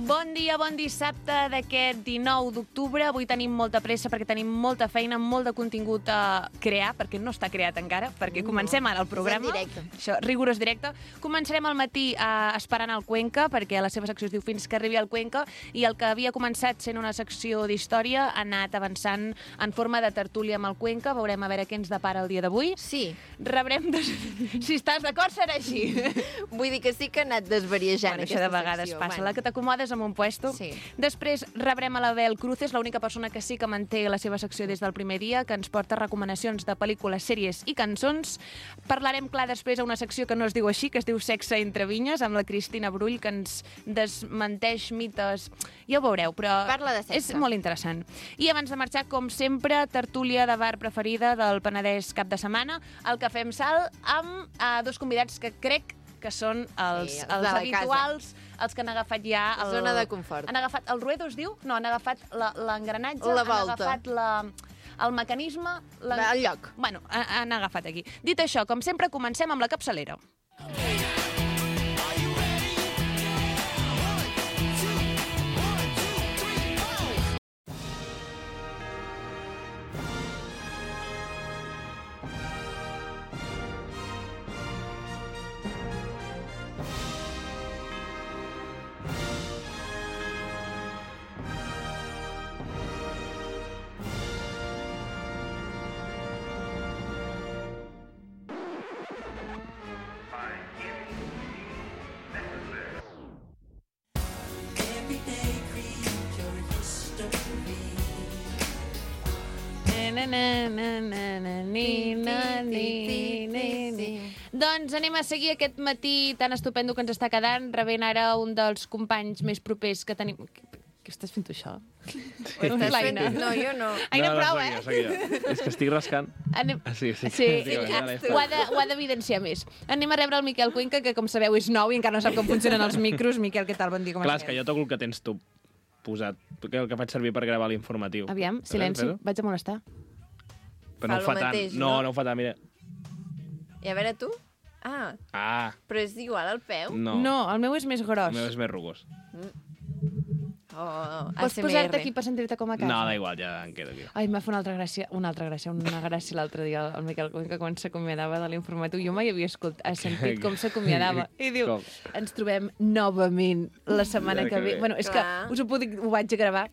Bon dia, bon dissabte d'aquest 19 d'octubre. Avui tenim molta pressa perquè tenim molta feina, molt de contingut a crear, perquè no està creat encara, perquè comencem ara el programa. És en directe. Això, rigorós directe. Començarem al matí esperant el Cuenca, perquè la seva secció es diu Fins que arribi el Cuenca, i el que havia començat sent una secció d'història ha anat avançant en forma de tertúlia amb el Cuenca. Veurem a veure què ens depara el dia d'avui. Sí. Rebrem... Si estàs d'acord, serà així. Vull dir que sí que ha anat desvariejant Això de vegades passa, la que t'acomodes en un puesto. Sí. Després rebrem a l'Abel Cruces, l'única persona que sí que manté la seva secció des del primer dia, que ens porta recomanacions de pel·lícules, sèries i cançons. Parlarem, clar, després a una secció que no es diu així, que es diu Sexe entre vinyes, amb la Cristina Brull, que ens desmenteix mites. Ja ho veureu, però Parla de sexe. és molt interessant. I abans de marxar, com sempre, tertúlia de bar preferida del Penedès cap de setmana, el que fem salt amb dos convidats que crec que són els de la habituals, els que han agafat ja... Zona de confort. Han agafat el ruedo, es diu? No, han agafat l'engranatge, La han volta. agafat el mecanisme... El lloc. Bueno, han agafat aquí. Dit això, com sempre, comencem amb la capçalera. Doncs anem a seguir aquest matí tan estupendo que ens està quedant, rebent ara un dels companys més propers que tenim... Què estàs fent tu, això? L'Aina. No, jo no. Aina, prou, seguia. És que estic rascant. Anem... Sí. ho ha d'evidenciar més. Anem a rebre el Miquel Cuenca, que com sabeu és nou i encara no sap com funcionen els micros. Miquel, què tal? Bon dia, com Clar, és estàs? que jo toco el que tens tu posat, el que faig servir per gravar l'informatiu. Aviam, silenci, vaig a molestar. Però no ho fa tant. mateix, No no? ho fa tant, mira. I a veure tu? Ah, però és igual al peu? No. No, el meu és més gros. El meu és més rugós. Oh, Pots posar-te aquí per sentir-te com a casa? No, da igual, ja em quedo aquí. Ai, m'ha fet una gràcia l'altre dia el Miquel Cuenca quan s'acomiadava de l'informatiu. Jo mai havia sentit com s'acomiadava. I diu, Com? ens trobem novament la setmana que ve. Bueno, és que Clar. ho vaig a gravar.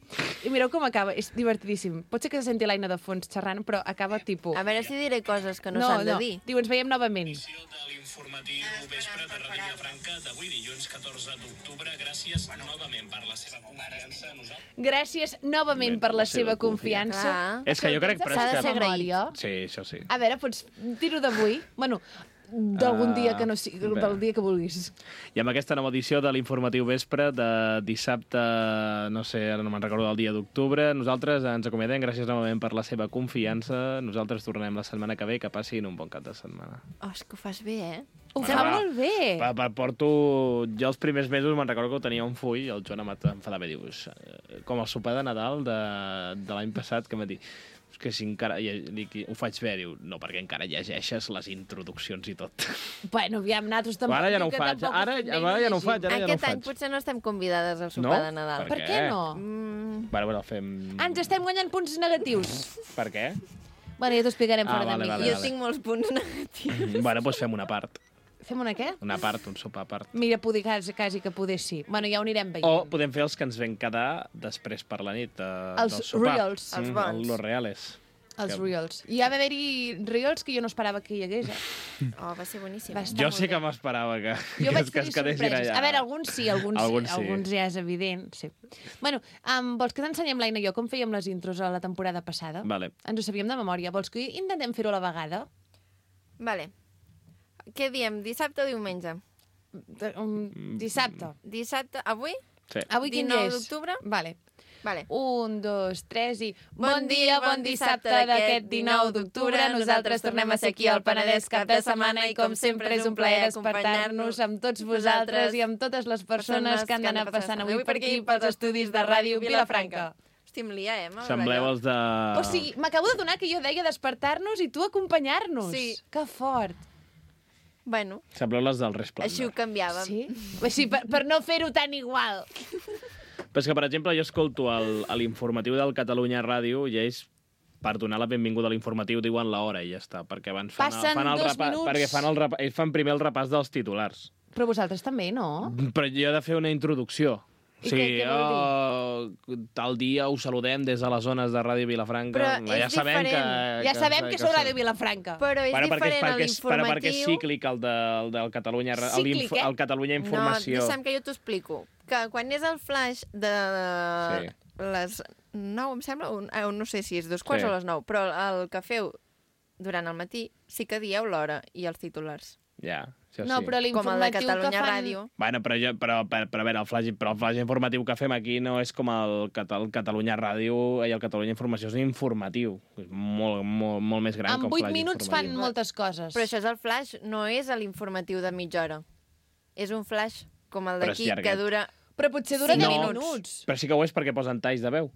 I mireu com acaba, és divertidíssim. Pot ser que se senti l'Aina de fons xerrant, però acaba tipus... A veure si diré coses que no s'han de dir. Diu, ens veiem novament. De l'informatiu vespre de Ràdio Vilafranca d'avui dilluns 14 d'octubre. Gràcies novament per la seva confiança. Gràcies novament per la seva confiança. Clar. És que jo crec... però S'ha és de que- ser agraït. Memòria. Sí, això sí. A veure, pots dir-ho d'avui? Bueno, d'algun dia que no sigui, bé. del dia que vulguis. I amb aquesta nova edició de l'informatiu vespre de dissabte, no sé, ara no me'n recordo del dia d'octubre, nosaltres ens acomiadem, gràcies novament per la seva confiança. Nosaltres tornem la setmana que ve, que passin un bon cap de setmana. Oh, és que ho fas bé, eh? Ho Que fa va. molt bé. Porto... Jo els primers mesos me'n recordo que ho tenia un full i el Joan em va enfadar bé, dius, com el sopar de Nadal de l'any passat, que em va dir, és que si encara... ho faig bé, diu, no, perquè encara llegeixes les introduccions i tot. Bueno, aviam, nosaltres tampoc... Ara ja no ho que faig, tampoc ara estem ja no ho llegint. faig, ara ja no ho Aquest any faig. potser no estem convidades al sopar de Nadal. Per què no? Bueno, fem... Ens estem guanyant punts negatius. Per què? Bueno, ja t'ho explicarem fora vale, de vale, micro. Jo tinc molts punts negatius. Bueno, doncs fem una part. Fem una què? Una part, un sopar a part. Mira, poder quasi que poder sí. Bueno, ja ho anirem veient. O podem fer els que ens vam quedar després per la nit Els del sopar. reals. Els bons. Los reales. Els que- reels. I ha d'haver-hi reels que jo no esperava que hi hagués. Oh, va ser boníssim. Va estar Jo molt sí que bé. m'esperava que Jo vaig que tenir es quedessin sorpreses. allà. A veure, alguns sí, alguns sí. ja és evident. Sí. Bueno, vols que t'ensenyem, l'Aina i jo, com fèiem les intros a la temporada passada? Vale. Ens ho sabíem de memòria. Vols que intentem fer-ho a la vegada? Vale. Què diem, dissabte o diumenge? Dissabte. Dissabte, avui? Sí. Avui quin 19 dia és? d'octubre? Vale. Vale. 1, 2, 3 i... Bon dia, bon dissabte d'aquest 19 d'octubre. Nosaltres tornem a ser aquí al Penedès cap de setmana i com sempre és un plaer despertar-nos amb tots vosaltres i amb totes les persones que han d'anar passant avui per aquí pels estudis de Ràdio Vilafranca. Hosti, em lia, amb Sembleu allò. els de... O sigui, m'acabo de donar que jo deia despertar-nos i tu acompanyar-nos. Sí. Que fort. Bueno, Sembleu les del Resplendor. així ho canviàvem. Sí? Així, per no fer-ho tan igual. Però és que, per exemple, jo escolto l'informatiu del Catalunya Ràdio i ells, per donar la benvinguda a l'informatiu, diuen l'hora i ja està, perquè abans Passen 2 minuts. perquè ells fan primer el repàs dels titulars. Però vosaltres també, no? Però jo he de fer una introducció. I què vol Tal dia us saludem des de les zones de Ràdio Vilafranca. Però és diferent. Ja sabem que sou Ràdio Vilafranca. Però és diferent a l'informatiu... Perquè és cíclic el del Catalunya, Cíclic, el Catalunya Informació. No, deixa'm que jo t'ho explico. Que quan és el flash de les 9, em sembla, no sé si és 2:15 o les 9, però el que feu durant el matí sí que dieu l'hora i els titulars. Ja, això No, sí. però Com el de l'informatiu que Catalunya fan... Ràdio. Bueno, però a veure, el flash informatiu que fem aquí no és com el Catalunya Ràdio i el Catalunya Informació, és un informatiu. És molt més gran que En un 8 flash minuts fan informatiu. moltes coses. Però això és el flash, no és l'informatiu de mitja hora. És un flash com el Però és d'aquí, que llarguet. dura... Però potser dura 10 No. minuts. Però sí que ho és perquè posen talls de veu.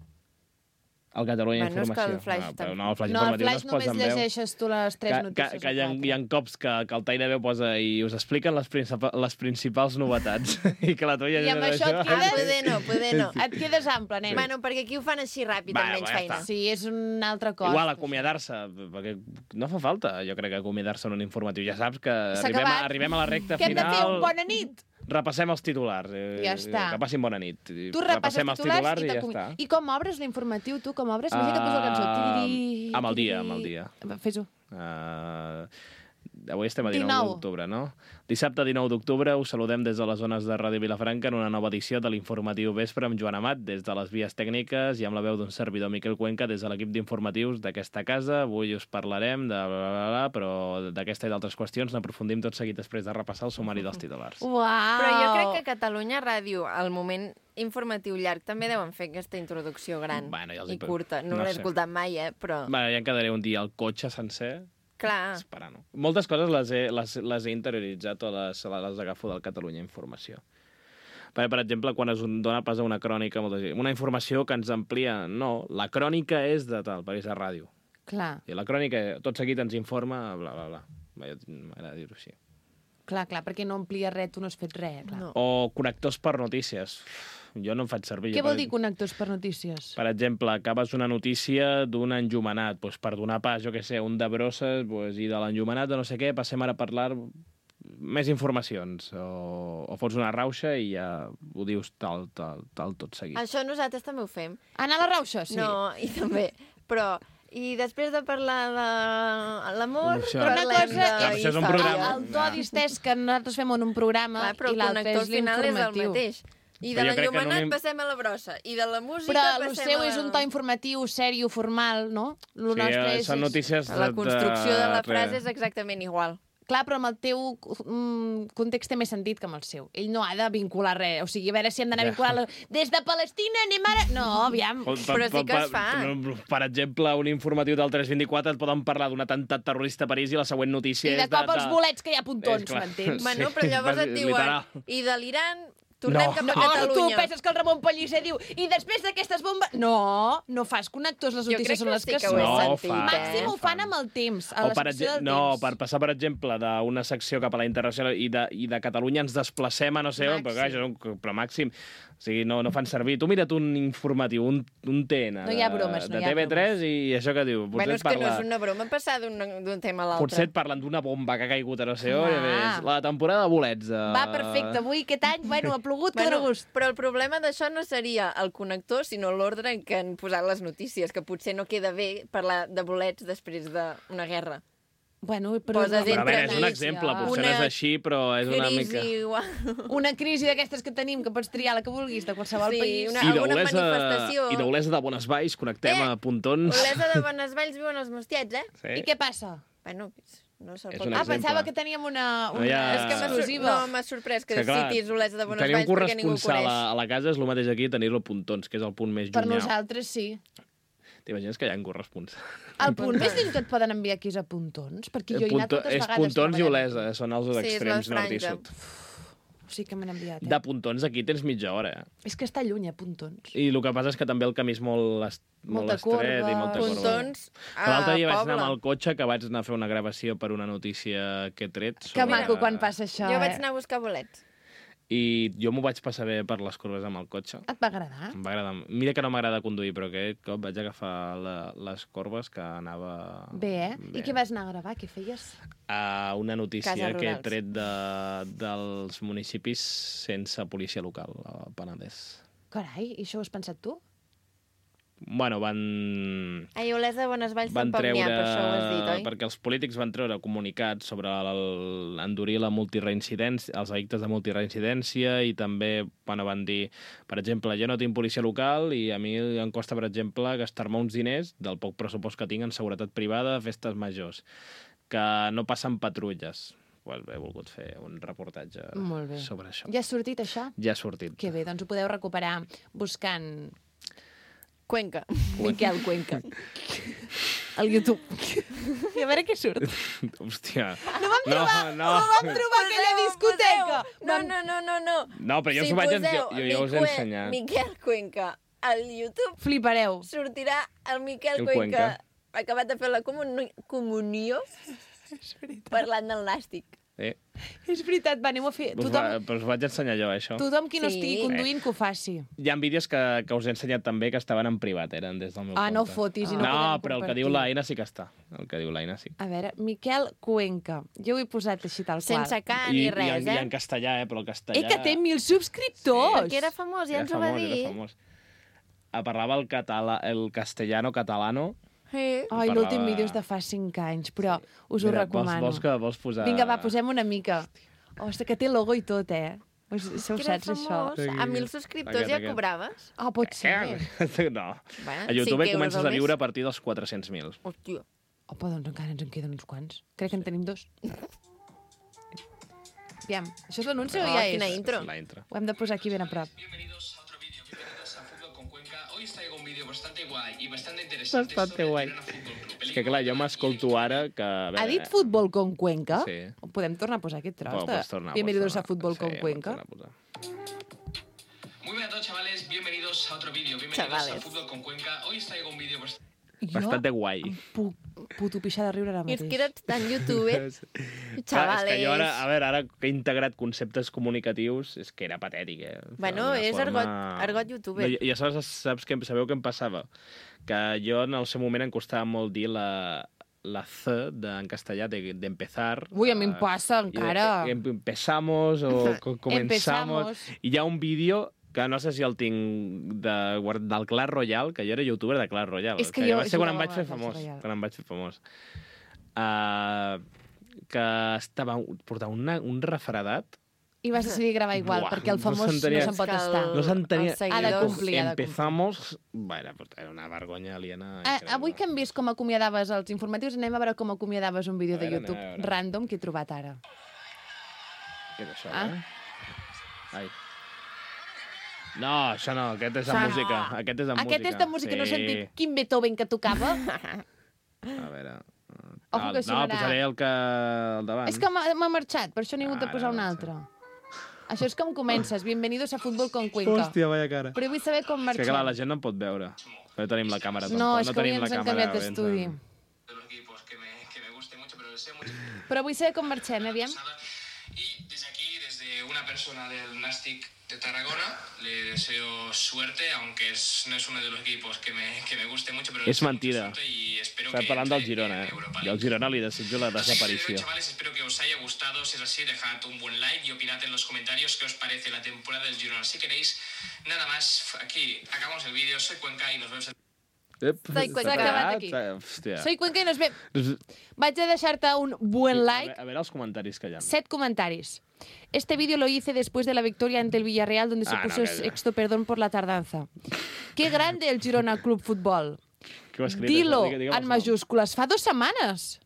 El Catalunya Bueno, és que Informació. el flash Però no, el flash No, al informatiu flash no es només posa en veu. llegeixes tu les 3 notícies. Que hi ha cops que el tall de veu posa i us expliquen les principals novetats i que la tuia... I amb això et quedes- poder no. Et quedes ample, nen. Bueno, perquè aquí ho fan així ràpid, Va, amb menys ja feina. està. Sí, és un altre cos. Igual, acomiadar-se, perquè no fa falta, jo crec, acomiadar-se en un informatiu. Ja saps que acabat. arribem a la recta Què hem de final... fer? Un bona nit? Repassem els titulars. Ja està. Que passin bona nit. Tu repasses Repassem els titulars i ja t'acomia- està. I com obres l'informatiu, tu? Com obres? Imagina't que poso la cançó. Tiriri, Amb el dia, tiriri. amb el dia. Fes-ho. Avui estem a 19 19. d'octubre, no? Dissabte 19 d'octubre us saludem des de les zones de Ràdio Vilafranca en una nova edició de l'informatiu Vespre amb Joan Amat des de les vies tècniques i amb la veu d'un servidor Miquel Cuenca des de l'equip d'informatius d'aquesta casa. Avui us parlarem de però d'aquesta i d'altres qüestions n'aprofundim tot seguit després de repassar el sumari dels titulars. Uau! Però jo crec que a Catalunya Ràdio, al moment informatiu llarg, també deuen fer aquesta introducció gran Bueno, ja els i hi- curta. No, no l'he sé. escoltat mai, però... Ja em quedaré un dia al cotxe sencer Clar, esperant. Moltes coses les he interioritzat o les agafo del Catalunya Informació. Per exemple, quan es dona pas a una crònica, una informació que ens amplia... No, la crònica és de tal, perquè és a ràdio. Clar, I la crònica, tot seguit, ens informa, bla, bla, bla. M'agrada dir-ho així. clar, perquè no amplia res, tu no has fet res, clar. no. O connectors per notícies. Jo no en faig servir. Què vol dir connectors per notícies? Per exemple, acabes una notícia d'un enllumenat, doncs per donar pas, jo què sé, un de brosses, doncs, i de l'enllumenat de no sé què, passem ara a parlar més informacions. O fots una rauxa i ja ho dius tal, tot seguit. Això nosaltres també ho fem. Anar a la rauxa, sí. No, i també. Però... I després de parlar de l'amor, Això. Però una parlem cosa de això és un història. programa. El to distès que nosaltres fem en un programa Clar, però i el l'altre connector és final és el l'informatiu. mateix. I de Però jo crec que l'enllumenat no passem a la brossa. I de la música Però el passem seu a... és un to informatiu, sèrio, formal, no? El Sí, nostre són notícies La construcció de la frase res. és exactament igual. Clar, però amb el teu context té més sentit que amb el seu. Ell no ha de vincular res. O sigui, a veure si hem d'anar vinculant... Des de Palestina anem ara... No, aviam. Però sí que es fa. Per exemple, un informatiu del 324 et poden parlar d'un atemptat terrorista a París i la següent notícia I de és cop els bolets que hi ha puntons, És clar. m'entens? Bueno, però llavors et diuen... literal. I de l'Iran tornem No. cap a No, tu Catalunya. penses que el Ramon Pellicer diu i després d'aquestes bombes... No fas connectors, les Jo crec notícies són que les sí que que ho he són. No, sentit, fa. Màxim ho fan amb el temps, a O la per secció del no, temps. per passar, per exemple, d'una secció cap a la internacional i de Catalunya ens desplacem a no sé on, però, clar, però màxim. O sigui, no fan servir. Tu mira't un informatiu, un TN No hi ha bromes, no de hi ha TV3 bromes. i això que diu. Bueno, és que no és una broma passar d'un tema a l'altre. Potser et parlen d'una bomba que ha caigut a no sé on, i Ah. ves, la temporada de bolets. Va, perfecte. Avui, aquest any, bueno, ha plogut, que dóna gust. Però el problema d'això no seria el connector, sinó l'ordre en què han posat les notícies, que potser no queda bé parlar de bolets després d'una guerra. Bueno, però... Poses Però a veure, és un Entre exemple, mig, potser no és una així, però és una Crisi mica... igual. Una crisi d'aquestes que tenim, que pots triar la que vulguis, de qualsevol Sí, país. alguna manifestació. I d'Olesa de Bonesvalls, connectem a Pontons. Olesa de Bonesvalls viuen els mostiets, eh? Sí. I què passa? Bueno, no se'l És pot... un Ah, exemple. pensava que teníem una No hi ha- És que exclusiva. m'ha sorprès que És que, clar, citis Olesa de Tenir un Bonesvalls perquè ningú ho corresponsal coneix. a la casa és el mateix aquí tenir-lo a Pontons, que és el punt més Per llunyà. nosaltres, sí. T'imagines que hi ha un corresponsal? El punt més lluny que et poden enviar aquí és a Pontons, perquè jo he anat moltes És vegades. Pontons i treballant Olesa, són els Sí, és extrems la nord i franja. sud. aquí. Sí que m'han enviat, De Pontons aquí tens mitja hora, És que està lluny, a Pontons. I el que passa és que també el camí és molt Molta estret corba. i molta corba. Pontons L'altre dia vaig poble. anar amb el cotxe, que vaig anar a fer una gravació per una notícia que he tret. Que maco quan passa això, Jo vaig anar a buscar bolets. I jo m'ho vaig passar bé per les curves amb el cotxe. Et va agradar? Em va agradar. Mira que no m'agrada conduir, però aquest cop vaig agafar les corbes que anava... Bé, eh? I què vas anar a gravar? Què feies? Una notícia Cases que he rurals. tret dels municipis sense policia local, al Penedès. Carai, i això ho has pensat tu? Bueno, A Olesa de Bonesvalls van tampoc n'hi treure... ha, per això ho has dit, oi? Perquè els polítics van treure comunicats sobre endurir la multireincidència, els delictes de multireincidència, i també van dir, per exemple, jo no tinc policia local i a mi em costa, per exemple, gastar-me uns diners del poc pressupost que tinc en seguretat privada a festes majors, que no passen patrulles. Pues he volgut fer un reportatge sobre això. Ja ha sortit, això? Ja ha sortit. Que bé, doncs ho podeu recuperar buscant Cuenca. Miquel Cuenca. Al YouTube. I a veure què surt. Hòstia. No vam trobar aquella discoteca. No. No, però jo us ho vaig jo us he ensenyat. Miquel Cuenca al YouTube Flipareu. sortirà el Miquel El Cuenca Cuenca. acabat de fer la comunió parlant del nàstic. És veritat, va, anem a fer... Però us vaig ensenyar jo, això. Tothom qui no Sí. estigui conduint que ho faci. Hi ha vídeos que us he ensenyat també que estaven en privat, eren des del meu compte. No fotis i no No, podem però el que compartir. diu l'Aina sí que està. El que diu l'Aina sí. A veure, Miquel Cuenca. Jo ho he posat així tal qual. Sense K ni res, I en castellà, però el castellà... Que té 1.000 subscriptors! Perquè era famós, ja ens ho va dir. Era famós. Parlava el castellano-catalano. Sí. Ai, Parlava- l'últim vídeo és de fa 5 anys, però us ho Mira, recomano. Vols posar... Vinga, va, posem una mica. Ostres, que té logo i tot, eh? Això ho Que era saps, això? famós. A 1.000 subscriptors ja Aquest. cobraves? Pot ser. No. Bueno, A YouTube 5 euros comences al a viure mes. a partir dels 400.000. Hòstia. Doncs encara ens en queden uns quants. Crec que en tenim 2. Aviam, això és l'anunci o ja quina és? intro. La intro. Ho hem de posar aquí ben a prop. Bienvenidos a otro vídeo, bienvenidos a Fútbol con Cuenca. Hoy os traigo un vídeo bastante guay y bastante interesante Bastante sobre guai. el Girona Fútbol Club. És que clar, jo m'escolto ara que... a veure, Ha dit Futbol con Cuenca? Sí. Podem tornar a posar aquest tros? Pots tornar, Bienvenidos a pots Futbol tornar. con Sí, Cuenca. pots tornar a posar. Muy buenas a todos, chavales, bienvenidos a otro vídeo, bienvenidos Chavales. a Fútbol con Cuenca. Hoy os traigo un vídeo bastante... Bastante guai. Puc puto pixar de riure ara I és mateix. que eres tan youtuber. Clar, Chavales. és que jo ara que he integrat conceptes comunicatius, és que era patètic, eh? Bueno, D'una és forma- argot youtuber. No, i saps que sabeu què em passava? Que jo en el seu moment em costava molt dir la C en castellà d'empezar. Ui, a mi em passa encara. Empezamos o comenzamos. Empezamos. I hi ha un vídeo que no sé si el tinc del Clash Royale, que jo era youtuber de Clash Royale. És que jo va ser quan em jugava vaig fer a Clash famós. Royale. Quan em vaig fer famós. Que portava un refredat. I vas decidir gravar igual, Buah, perquè el no famós no s'entenia. se'n pot És que estar. No s'entenia. els seguidors- Ha de complir, ha de complir. Empezamos... Bueno, però era una vergonya aliena. increïble. Avui que hem vist com acomiadaves els informatius, anem a veure com acomiadaves un vídeo A de veure, YouTube anem a veure. random que he trobat ara. Què és això, Ah. Ai. No, això no, aquest és de Això no. música. Aquest és de música. Aquest és de música, no he sentit quin Beethoven que tocava. A veure... Ojo que no, sonarà. posaré el davant. És que m'ha marxat, per això n'he hagut de Ara, posar un ara, altre. Això és com comences. Bienvenidos a Fútbol con Cuenca. Hòstia, vaya cara. Però vull saber com És que clar, la marxem. gent no em pot veure. No tenim la càmera tampoc. No, és que avui tenim la ens han càmera canviat ben- d'estudi. de los equipos que me guste mucho, pero deseo mucho Però vull saber com marxem, aviam. Y desde aquí, desde una persona del Nastic de Tarragona, le deseo suerte, aunque no es uno de los equipos que me guste mucho, pero le És deseo mentida. mucha suerte y espero Està que parlant del entre Girona, en Europa I League. al Girona li desitjo la Así que, desaparició. chavales, espero que os haya gustado. Si es así, dejad un buen like y opinad en los comentarios qué os parece la temporada del Girona. Si queréis, nada más, aquí acabamos el vídeo. Soy Cuenca y nos vemos Soy Cuenca. S'ha acabat aquí. Hòstia. Soy Cuenca i nos ve... Vaig a deixar-te un buen like. A veure els comentaris que hi ha. 7 comentarios. Este vídeo lo hice después de la victoria ante el Villarreal, donde se Ah, puso no, calla. sexto perdón por la tardanza. Qué grande el Girona Club Fútbol. Què ho ha escrit? Dilo Digue'm en els majúscules. Fa 2 setmanes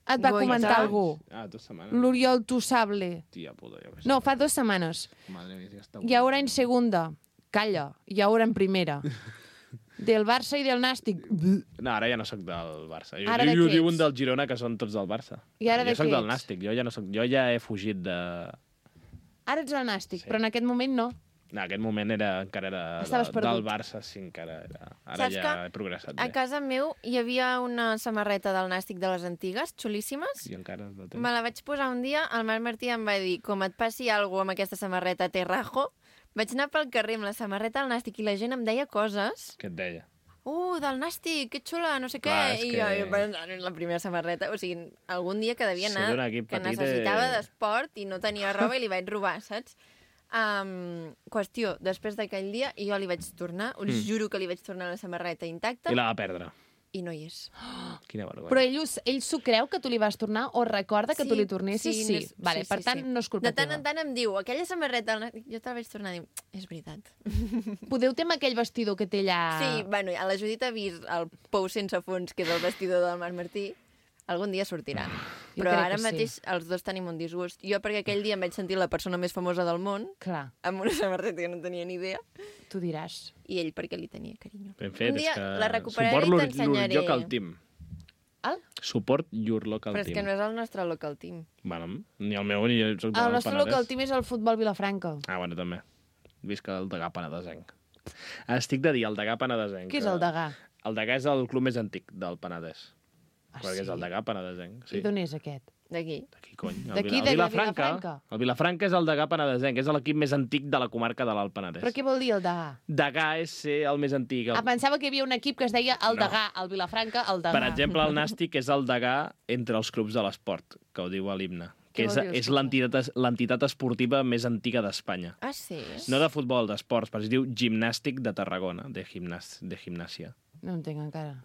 et va Goita. comentar algú. noms. Ah, 2 setmanes. L'Oriol Tussable. Tia puta, jo què sé. No, fa 2 semanas. Madre mía, ja està... Y ahora en segunda. Calla. Y ahora en primera. Del Barça i del Nàstic. No, ara ja no sóc del Barça. Ara de Jo què diuen ets? del Girona, que són tots del Barça. I ara de jo sóc què del ets? Nàstic, jo ja he fugit de... Ara ets el Nàstic, Sí. però en aquest moment no. En aquest moment encara era Estaves perdut. del Barça, sí, encara era. Ara Saps ja que he progressat A bé. casa meu hi havia una samarreta del Nàstic de les antigues, xulíssimes. I encara la tens. Me la vaig posar un dia, el Marc Martí em va dir, com et passi alguna cosa amb aquesta samarreta, te rajo. Vaig anar pel carrer amb la samarreta del Nàstic i la gent em deia coses. Què et deia? Del Nàstic, que xula, no sé què. Clar, és I que- jo pensant en la primera samarreta. O sigui, algun dia que devia Ser anar, d'un equip que petit, necessitava d'esport i no tenia roba i li vaig robar, saps? Qüestió, després d'aquell dia, i jo li vaig tornar, us juro que li vaig tornar la samarreta intacta I la va perdre. i no hi és. Quina vergonya. Però ell s'ho creu que tu li vas tornar o recorda que tu li tornessis? no Sí. és- Vale, per tant, no és culpa De tant teva. en tant em diu, aquella samarreta, jo te la vaig tornar i diu, és veritat. Podeu ter amb aquell vestidor que té allà... Sí, bueno, a la Judit ha vist el pou sense fons, que és el vestidor del Marc Martí. Algun dia sortirà. Jo Però crec ara que sí. mateix els dos tenim un disgust. Jo perquè aquell dia em vaig sentir la persona més famosa del món, Clar, amb una samarreta que no tenia ni idea, tu diràs. i ell perquè li tenia carinyo. Ben fet, Un dia és que la recuperaré suport i llur t'ensenyaré. local team. El? Suport your local Però és team. que no és el nostre local team. Bueno, ni el meu ni jo soc El del nostre Penedès. local team és el futbol Vilafranca. Ah, bueno, també. Visca el Degà Penedesenc. Estic de dir el Degà Penedesenc. Què és el Degà? El Degà és el club més antic del Penedès. Ah, Perquè és el Degà Penedesenc. I d'on és aquest? D'aquí. D'aquí, cony. D'aquí, El de Vilafranca. Vilafranca. El Vilafranca és el Degà Penedesenc. És l'equip més antic de la comarca de l'Alt Penedès. Però què vol dir el Degà? Degà és ser el més antic. Ah, pensava que hi havia un equip que es deia el No. Degà, el Vilafranca, el Degà. Per exemple, el Nàstic és el Degà entre els clubs de l'esport, que ho diu a l'himne. Que Què vol dir, és escolta? l'entitat esportiva més antiga d'Espanya. Ah, sí? No de futbol, d'esports, però es diu Gimnàstic de Tarragona, de gimnàsia. No entenc encara.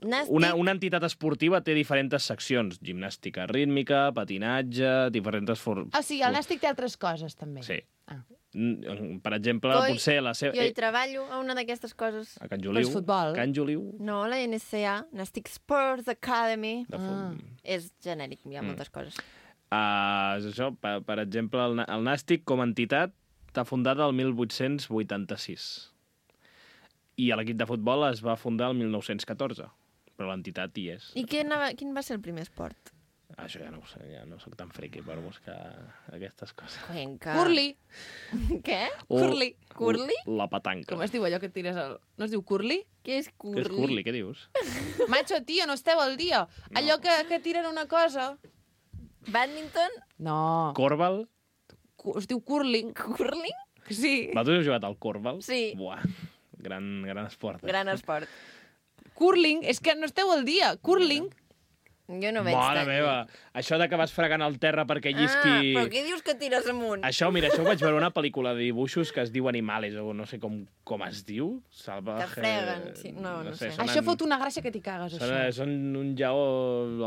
Nàstic, Una entitat esportiva té diferents seccions. Gimnàstica rítmica, patinatge, diferents... Ah, sí, el Nàstic té altres coses, també. Sí. Ah. Per exemple, Coi, potser la seva... jo hi treballo a una d'aquestes coses. A Can Joliu. Però és futbol. Can Joliu. No, la NCA, Nàstic Sports Academy. De fut... És genèric, hi ha moltes coses. És això, per exemple, el Nàstic com a entitat està fundat el 1886. I l'equip de futbol es va fundar el 1914. Però l'entitat hi és. I quin va ser el primer esport? Això ja no ho sé, ja no sóc tan friqui per buscar aquestes coses. Cuenca. Curly. Què? Curly. Curly? La petanca. Com es diu allò que et tires al... No es diu curly? Què és curly? Què és curly? Què dius? Macho, tio, no esteu al dia. Allò que tiren una cosa... Badminton? No. Corbal? Es diu curling. Curling? Sí. Vosaltres heu jugat al corbal? Sí. Buah, gran esport. Gran esport. Curling, és que no esteu al dia. Curling. Jo no veig Mare tant. meva, això de que vas fregant el terra perquè llisqui... Però què dius que tires amunt? Això, mira, això ho vaig veure una pel·lícula de dibuixos que es diu Animales, o no sé com es diu. Salvaje... Que freguen, sí. No sé. Això fot una gràcia que t'hi cagues, això. Són un lleó,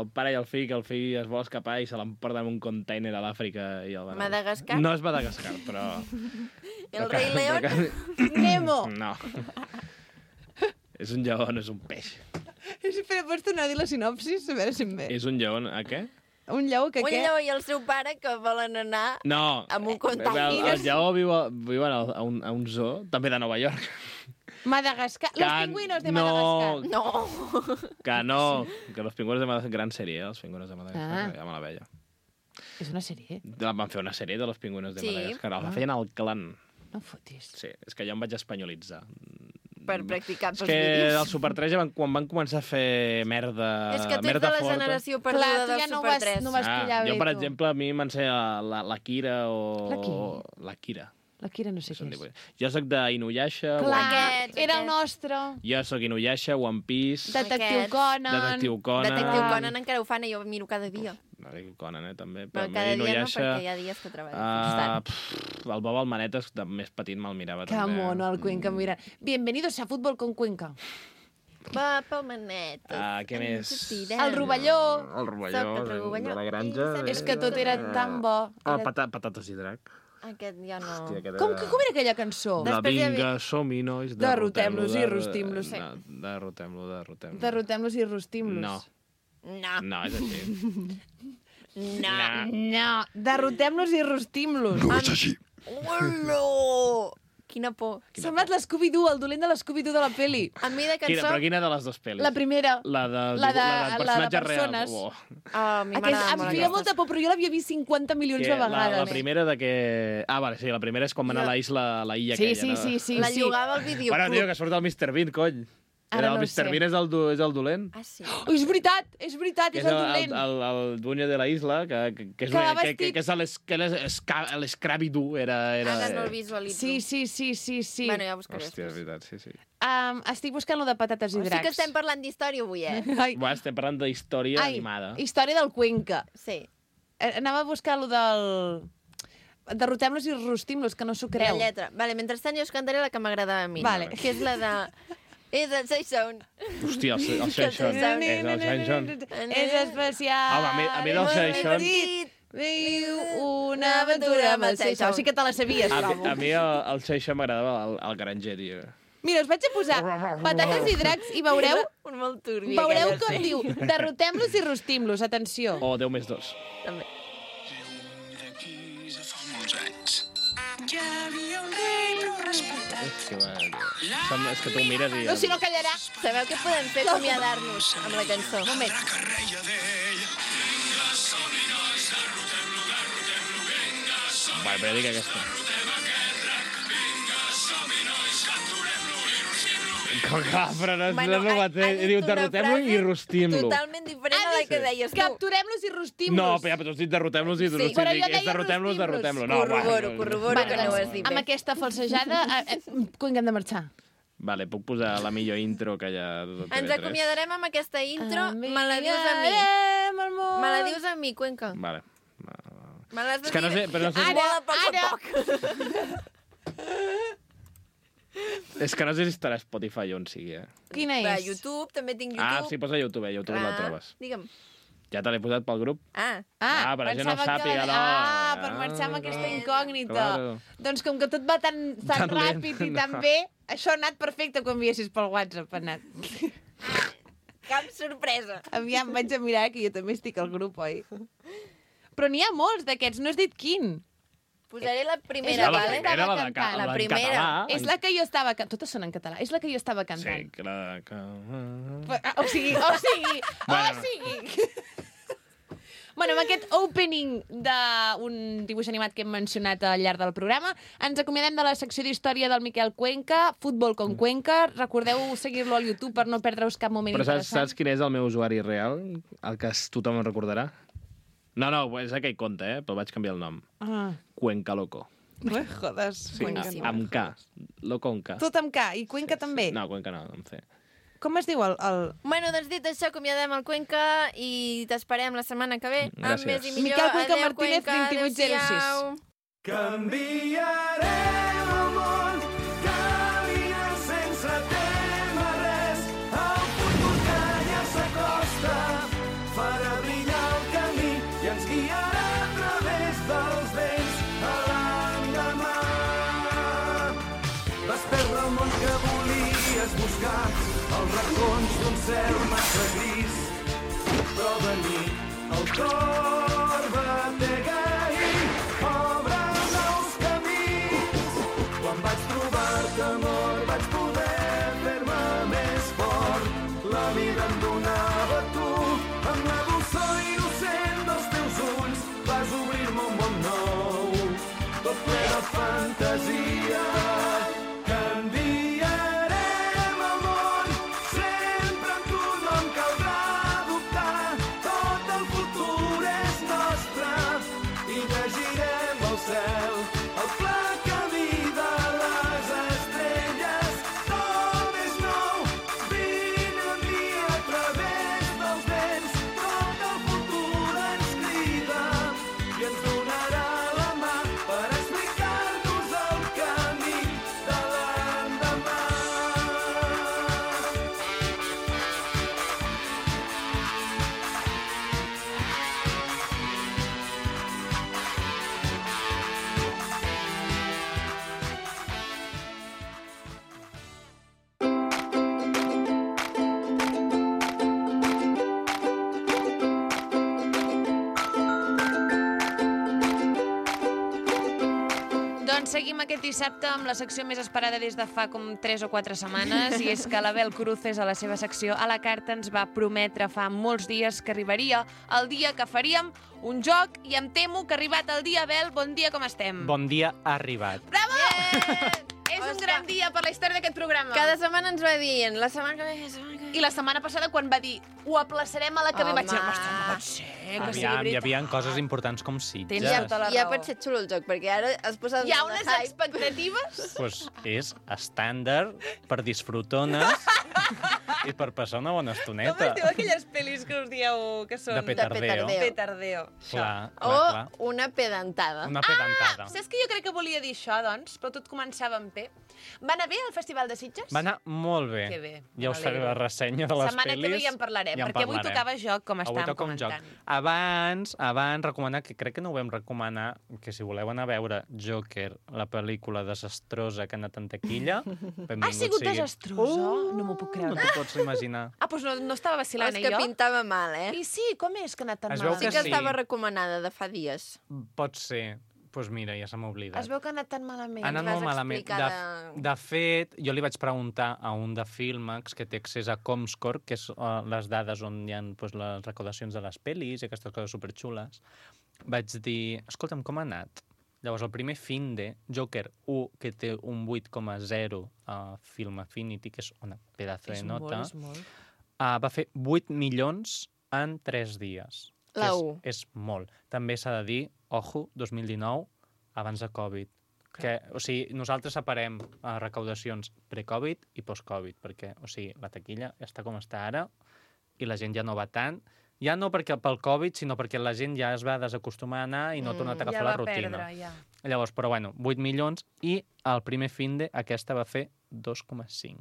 el pare i el fill, que el fill es vol escapar i se l'emporta en un container a l'Àfrica i el van... Madagascar? No és Madagascar, però... El rei León? Nemo! No. És un lleó, no és un peix. Espera, pots tornar a dir la sinopsis? A veure si em ve. És un lleó... A què? Un lleó que Un què? lleó i el seu pare que volen anar No. amb un container. El lleó viu a un zoo, també de Nova York. Madagascar. Los Que pingüinos de no. Madagascar. No. Que no, que los pingüinos de Madagascar... Gran sèrie, els pingüinos de Madagascar, ja me la veia. És una sèrie. Van fer una sèrie de los pingüinos de Sí. Madagascar. La feien al clan. No fotis. Sí, és que jo em vaig espanyolitzar. Per practicar És pels que vídeos. el Super 3, quan van començar a fer merda És que tu ets de merda la forta... generació Clar, perduda tu del ja no Super vas- 3. no vas pillar bé, jo, per tu. exemple, a mi m'ensenya la Kira o... La qui? La Kira. La Kira no sé què és. Jo sóc d'Inuyasha. Clar, Aquests, era el aquests. nostre. Jo sóc Inuyasha, One Piece, Detectiu Aquests. Conan. Detectiu Conan... Detectiu Conan encara ho fan i jo ho miro cada dia. Detectiu Conan, també. Però a mi cada dia no, Inuyasha, perquè hi ha dies que treballo constant. el Bob el Manetes, de més petit, me'l mirava Que també. mono, el Cuenca, mira. Bienvenidos a Fútbol con Cuenca. Va pel manet. Què més? El Rovelló. El Rovelló, Soc el Rovelló. de la granja. I És que tot era tan bo. Ah, Era... patates i drac. Aquest ja no... Hòstia, aquest Com era- era aquella cançó? La Després hi havia- vinga, som-hi, nois. Derrotem-los i rostim-los. Derrotem-los. Derrotem-los i rostim-los. No. No. No, és així. No. No, derrotem-los i rostim-los. És així. Olo! Quina por. S'ha semblat l'Scooby-Doo, el dolent de l'Scooby-Doo de la peli. A mi de cançó... Però quina de les dues pel·lis? La primera. La de persones. personatges reals. A mi m'agrada Em molt feia aquesta. molta por, però jo l'havia vist 50 milions de vegades. La primera de que... Ah, vale, sí, la primera és quan va anar a la illa Sí, aquella, no? sí. La llogava al videoclub. Bueno, tio, que surt el Mr. Bean, cony. Ara El no ho Mr. sé. Bean és el dolent. Ah, sí? Oh, és veritat, és Que el dolent. el dueño de la isla, que és Que va vestit- que és l'Scraby-Doo. Ara no el visualitzo. Sí. Bueno, ja buscaré. Hòstia, és veritat, sí. Estic buscant lo de patates i Sí dracs. que estem parlant d'història avui, Ai, Va, estem parlant d'història animada. història del Cuenca. Sí. Anava a buscar lo del... Derrotem-los i rostim-los, que no s'ho La creu. lletra. Vale, mentrestant jo us cantaré la que m'agradava a mi. Vale. Que és la de... És el Say Sound. Hòstia, el Shane És el Shane És especial. Home, a mi del Shane Viu una aventura amb el Seixau. Sí que te la sabies, trobo. A mi el Shane m'agradava el granger, tio. Mira, us vaig a posar patates i dracs i veureu Un molt turbi. veureu aquella, com sí. diu derrotem-los i rostim-los. Atenció. O 10 més 2. També. Ja havia un rei prou respectat. És que tu ho mires i... No, si no callarà. Sabeu què podem fer? Acomiadar-nos amb la cançó. Un moment. Vale, però dic aquesta. Com que, però no és el mateix. Diu, derrotem-lo i rostim-lo. Totalment diferent a la que deies tu. Capturem-los i rostim-los. No, però ja, però tu has dit derrotem-los i rostim-los. però jo És deia derrotem-los, rostim-los. derrotem-lo. No, Corroboro que no ho has dit Amb bé. aquesta falsejada, quan hem de marxar? Vale, puc posar la millor intro que hi ha de TV3. Ens acomiadarem amb aquesta intro. Me la dius a mi. Me la dius a mi, Cuenca. Vale. Me l'has de És que no sé, però no sé... Molt a poc a poc. És que no sé si estarà a Spotify o on sigui, Quina Va, és? YouTube, també tinc YouTube. Ah, sí, posa YouTube, YouTube la trobes. Digue'm. Ja te l'he posat pel grup. Ah, per la gent no pensava sàpiga, que... no. Per marxar amb aquesta incògnita. Claro. Doncs com que tot va tan Tan lent, ràpid i no. tan bé, això ha anat perfecte quan enviessis pel WhatsApp, ha anat. cap sorpresa. Aviam, vaig a mirar, que jo també estic al grup, oi? Però n'hi ha molts d'aquests, no has dit quin. Posaré la És primera, la vale? primera. Era cantant. La primera. Català. És la que jo estava... Totes són en català. És la que jo estava cantant. Sí, que la... O sigui... Bueno, amb aquest opening d'un dibuix animat que hem mencionat al llarg del programa, ens acomiadem de la secció d'història del Miquel Cuenca, Futbol con Cuenca. Recordeu seguir-lo al YouTube per no perdre-us cap moment Però interessant. saps quin és el meu usuari real? El que tothom en recordarà? No, és aquell conte, però vaig canviar el nom. Ah, Cuenca Loco. jodes. Sí, Boníssim. amb K. Loco amb K. Tot amb K. I Cuenca també? No, Cuenca no, amb C. Com es diu el... Bueno, doncs dit això, acomiadem el Cuenca i t'esperem la setmana que ve. Amb Gràcies. més i millor. Miquel Cuenca Adéu, Martínez, Cuenca. 2806. Adéu-siau. Canviarem el món, caminant sense témer res. El futur que ja s'acosta farà brillar el camí i ens guiarà a través dels vents a l'endemà. Vas perdre el món que volies buscar, els racons d'un cel massa gris, però de nit el cor batega i obre nous camins. Quan vaig trobar-te, amor, vaig poder fer-me més fort. La vida em donava tu, amb la dolçor innocent dels teus ulls vas obrir-me un món nou, tot ple de fantasia. Canviarem el món, sempre amb tu no em caldrà dubtar. Tot el futur és nostre i llegirem el cel, el pla camí de les estrelles. Tot és nou, vine a mi a través dels vents. Tot el futur ens crida i ens donarà la mà per explicar-nos el camí. Doncs seguim aquest dissabte amb la secció més esperada des de fa com 3 o 4 setmanes, i és que l'Abel Cruces, a la seva secció A la Carta, ens va prometre fa molts dies que arribaria el dia que faríem un joc, i em temo que ha arribat el dia. Abel, bon dia, com estem? Bon dia, ha arribat. Bravo! És un gran dia per la història d'aquest programa. Cada setmana ens va dient, la setmana que ve... I la setmana passada, quan va dir ho aplaçarem a la que ve, vaig dir, ostres, no pot ser que sigui Aviam, veritat. hi havia coses importants com Sitges. Tens tota la Ja raó. pot ser xulo el joc, perquè ara es posa... Hi ha unes expectatives? Pues és estàndard per disfrutones i per passar una bona Com estoneta. es diu aquelles pel·lis que us dieu que són... De petardeo. Petardeo. Clar, O clar. una pedantada. Una pedantada. Saps que jo crec que volia dir això, doncs? Però tot començava amb P. Va anar bé el Festival de Sitges? Va anar molt bé. Que bé, Ja us faré la ressenya de les Setmana pel·lis. que ve ja en parlarem, Ja en perquè avui parlarem. tocava joc, com Avui estàvem toca un joc. comentant. Abans recomanar, que crec que no ho vam recomanar, que si voleu anar a veure Joker, la pel·lícula desastrosa que ha anat en taquilla, Ha sigut desastrosa? No m'ho puc No creure. t'ho pots imaginar. Ah, doncs no estava vacilant, És que jo? pintava mal, I sí, com és que ha anat tan Es veu malament? Sí que que sí. estava recomanada de fa dies. Pot ser. Doncs mira, ja se m'ha oblidat. Es veu que ha anat tan malament. Ha anat vas molt malament. explicar De fet, jo li vaig preguntar a un de Filmax que té accés a Comscore, que és les dades on hi ha pues, les recaudacions de les pel·lis i aquestes coses superxules. Vaig dir, escolta'm, com ha anat? Llavors, el primer finde, Joker 1, que té un 8,0 a Film Affinity, que és una pedazo de nota, va fer 8 milions en 3 dies. La que 1. és molt. També s'ha de dir, ojo, 2019, abans de Covid. Que, o sigui, nosaltres separem recaudacions pre-Covid i post-Covid, perquè, o sigui, la taquilla està com està ara i la gent ja no va tant. Ja no perquè pel Covid, sinó perquè la gent ja es va desacostumar a anar i no ha tornat a agafar la rutina. Ja. Llavors, però bueno, 8 milions i el primer finde aquesta va fer 2,5.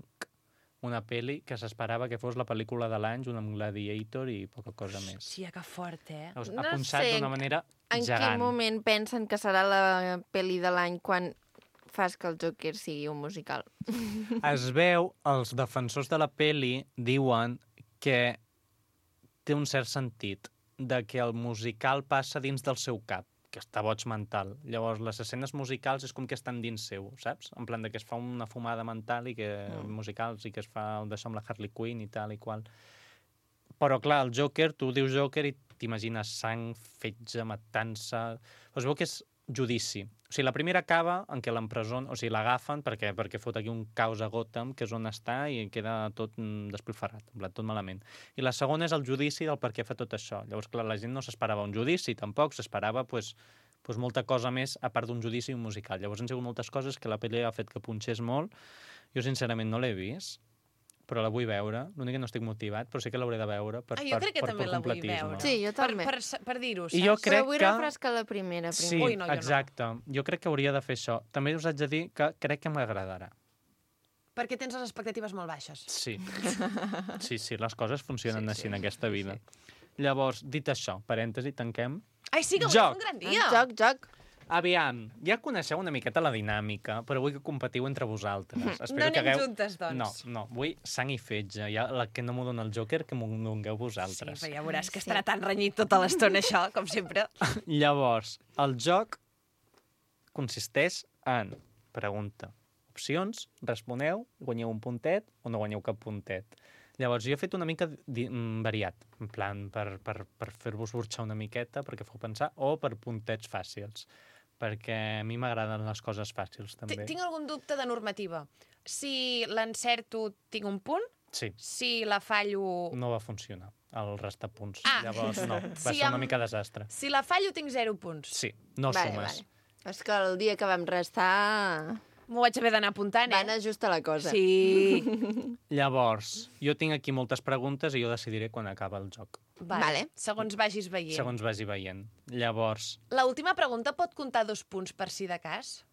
Una pel·li que s'esperava que fos la pel·lícula de l'any, junt amb Gladiator i poca cosa més. Hòstia, que fort, Llavors, No ha punxat sé d'una manera En gegant. quin moment pensen que serà la pel·li de l'any quan fas que el Joker sigui un musical? Es veu, els defensors de la pel·li diuen que té un cert sentit, de que el musical passa dins del seu cap, que està boig mental. Llavors, les escenes musicals és com que estan dins seu, saps? En plan de que es fa una fumada mental i que musicals i que es fa d'això amb la Harley Quinn i tal i qual. Però, clar, el Joker, tu dius Joker i t'imagines sang, fetge, matança... Es veu que és judici. O sigui, la primera acaba en què l'empresonen, o sigui, l'agafen perquè fot aquí un caos a Gotham, que és on està, i queda tot despilfarrat, en plan, tot malament. I la segona és el judici del per què fa tot això. Llavors, clar, la gent no s'esperava un judici, tampoc, s'esperava, pues, molta cosa més, a part d'un judici i un musical. Llavors han sigut moltes coses que la pel·li ha fet que punxés molt. Jo, sincerament, no l'he vist, però la vull veure. L'únic que no estic motivat, però sí que l'hauré de veure per Jo crec que per també la vull completisme. veure. Sí, jo també. Per dir-ho, saps? I jo crec Però vull que... refrescar la primera. Sí, Ui, no, jo no. exacte. Jo crec que hauria de fer això. També us haig de dir que crec que m'agradarà. Perquè tens les expectatives molt baixes. Sí. Sí, les coses funcionen Sí, així en aquesta vida. Llavors, dit això, parèntesi, tanquem. Ai, sí, que avui Joc. és un gran Ah, dia. Joc. Aviam, ja coneixeu una miqueta la dinàmica, però vull que competiu entre vosaltres. Espero No que anem juntes, doncs. No, vull sang i fetge. Ja, la que no m'ho dona el Joker, que m'ho dongueu Sí, vosaltres. però ja veuràs que estarà tan renyit tota l'estona, això, com sempre. Llavors, el joc consisteix en pregunta, opcions, responeu, guanyeu un puntet o no guanyeu cap puntet. Llavors, jo he fet una mica variat, en plan, per fer-vos burxar una miqueta, perquè feu pensar, o per puntets fàcils, perquè a mi m'agraden les coses fàcils, també. Tinc algun dubte de normativa. Si l'encerto, tinc un punt. Sí, Si la fallo... no va funcionar, el restar punts. Ah. Llavors, no, va Si ser una em- mica desastre. Si la fallo, tinc 0 punts. Sí, no sumes. És que el dia que vam restar M'ho vaig haver d'anar apuntant, va anar just a la cosa. Sí. Llavors, jo tinc aquí moltes preguntes i jo decidiré quan acaba el joc, Vale. Segons vagis veient. segons vagi veient. Llavors, L'última pregunta pot comptar 2 punts per si de cas?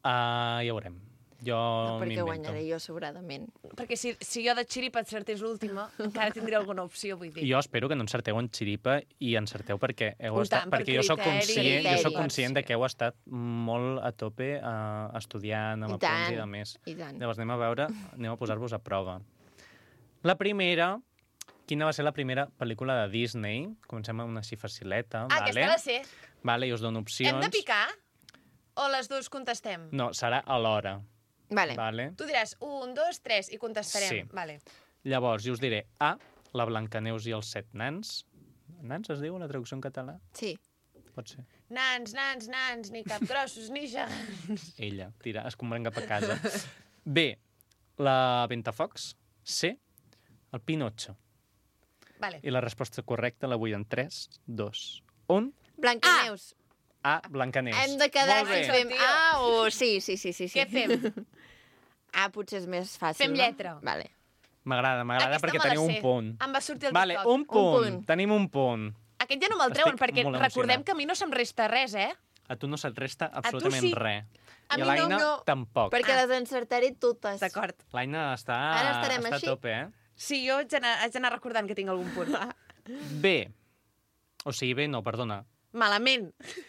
ja veurem. Jo No, perquè m'invento. guanyaré jo sobradament. Perquè si jo de xiripa encertés l'última, encara tindré alguna opció, vull dir. Jo espero que no encerteu en xiripa i encerteu perquè heu Un estat... tant, per Perquè jo sóc criteri, conscient de sí. que heu estat molt a tope estudiant amb I apunts i tant, de més. i tant. Llavors anem a posar-vos a prova. La primera... Quina va ser la primera pel·lícula de Disney? Comencem amb una així facileta. Ah, aquesta la sé. Vale, i us dono opcions. Hem de picar? o les dues contestem? No, serà alhora. Vale. Vale? Tu diràs 1, 2, 3 i contestarem. Sí. Vale. Llavors, jo us diré A, la Blancaneus i els 7 nans. Nans es diu la traducció en català? Sí. Pot ser. Nans, ni capgrossos, ni gegants. Ella, tira, es convent cap a casa. B, la Ventafocs. C, el Pinocho. Vale. I la resposta correcta la vull en 3, 2, 1. Blancaneus. A, Blancaneus. Hem de quedar Molt bé. si fem A o... Sí. Què fem? A potser és més fàcil, Fem lletra. No? Vale. M'agrada Aquesta perquè me la teniu un sé. punt. Em va sortir el Vale, TikTok. un punt. punt. Tenim un punt. Aquest ja no me'l treuen, Estic perquè molt recordem emocionat. que a mi no se'm resta res, eh? A tu no se't resta absolutament sí. res. A I mi a l'Aina no. tampoc. Perquè les encertaré totes. D'acord. L'Aina està, Ara estarem està així? a tope, eh? Sí, jo haig d'anar recordant que tinc algun punt. B. O sigui, B no, perdona. Malament.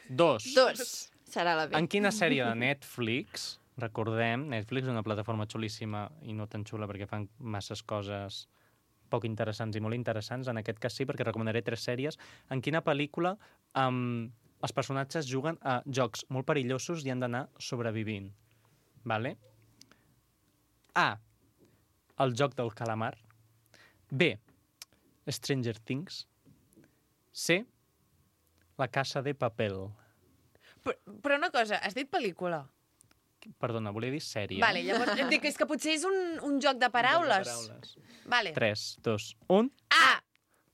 2. 2. Serà la B. En quina sèrie de Netflix, recordem, Netflix és una plataforma xulíssima i no tan xula perquè fan masses coses poc interessants i molt interessants. En aquest cas sí, perquè recomanaré 3 sèries. En quina pel·lícula els personatges juguen a jocs molt perillosos i han d'anar sobrevivint. Vale? A. El joc del calamar. B. Stranger Things. C. La casa de papel. Però una cosa, has dit pel·lícula? Perdona, volia dir sèrie. Vale, llavors em dic, és que potser és un joc de paraules. Vale. 3, 2, 1. A!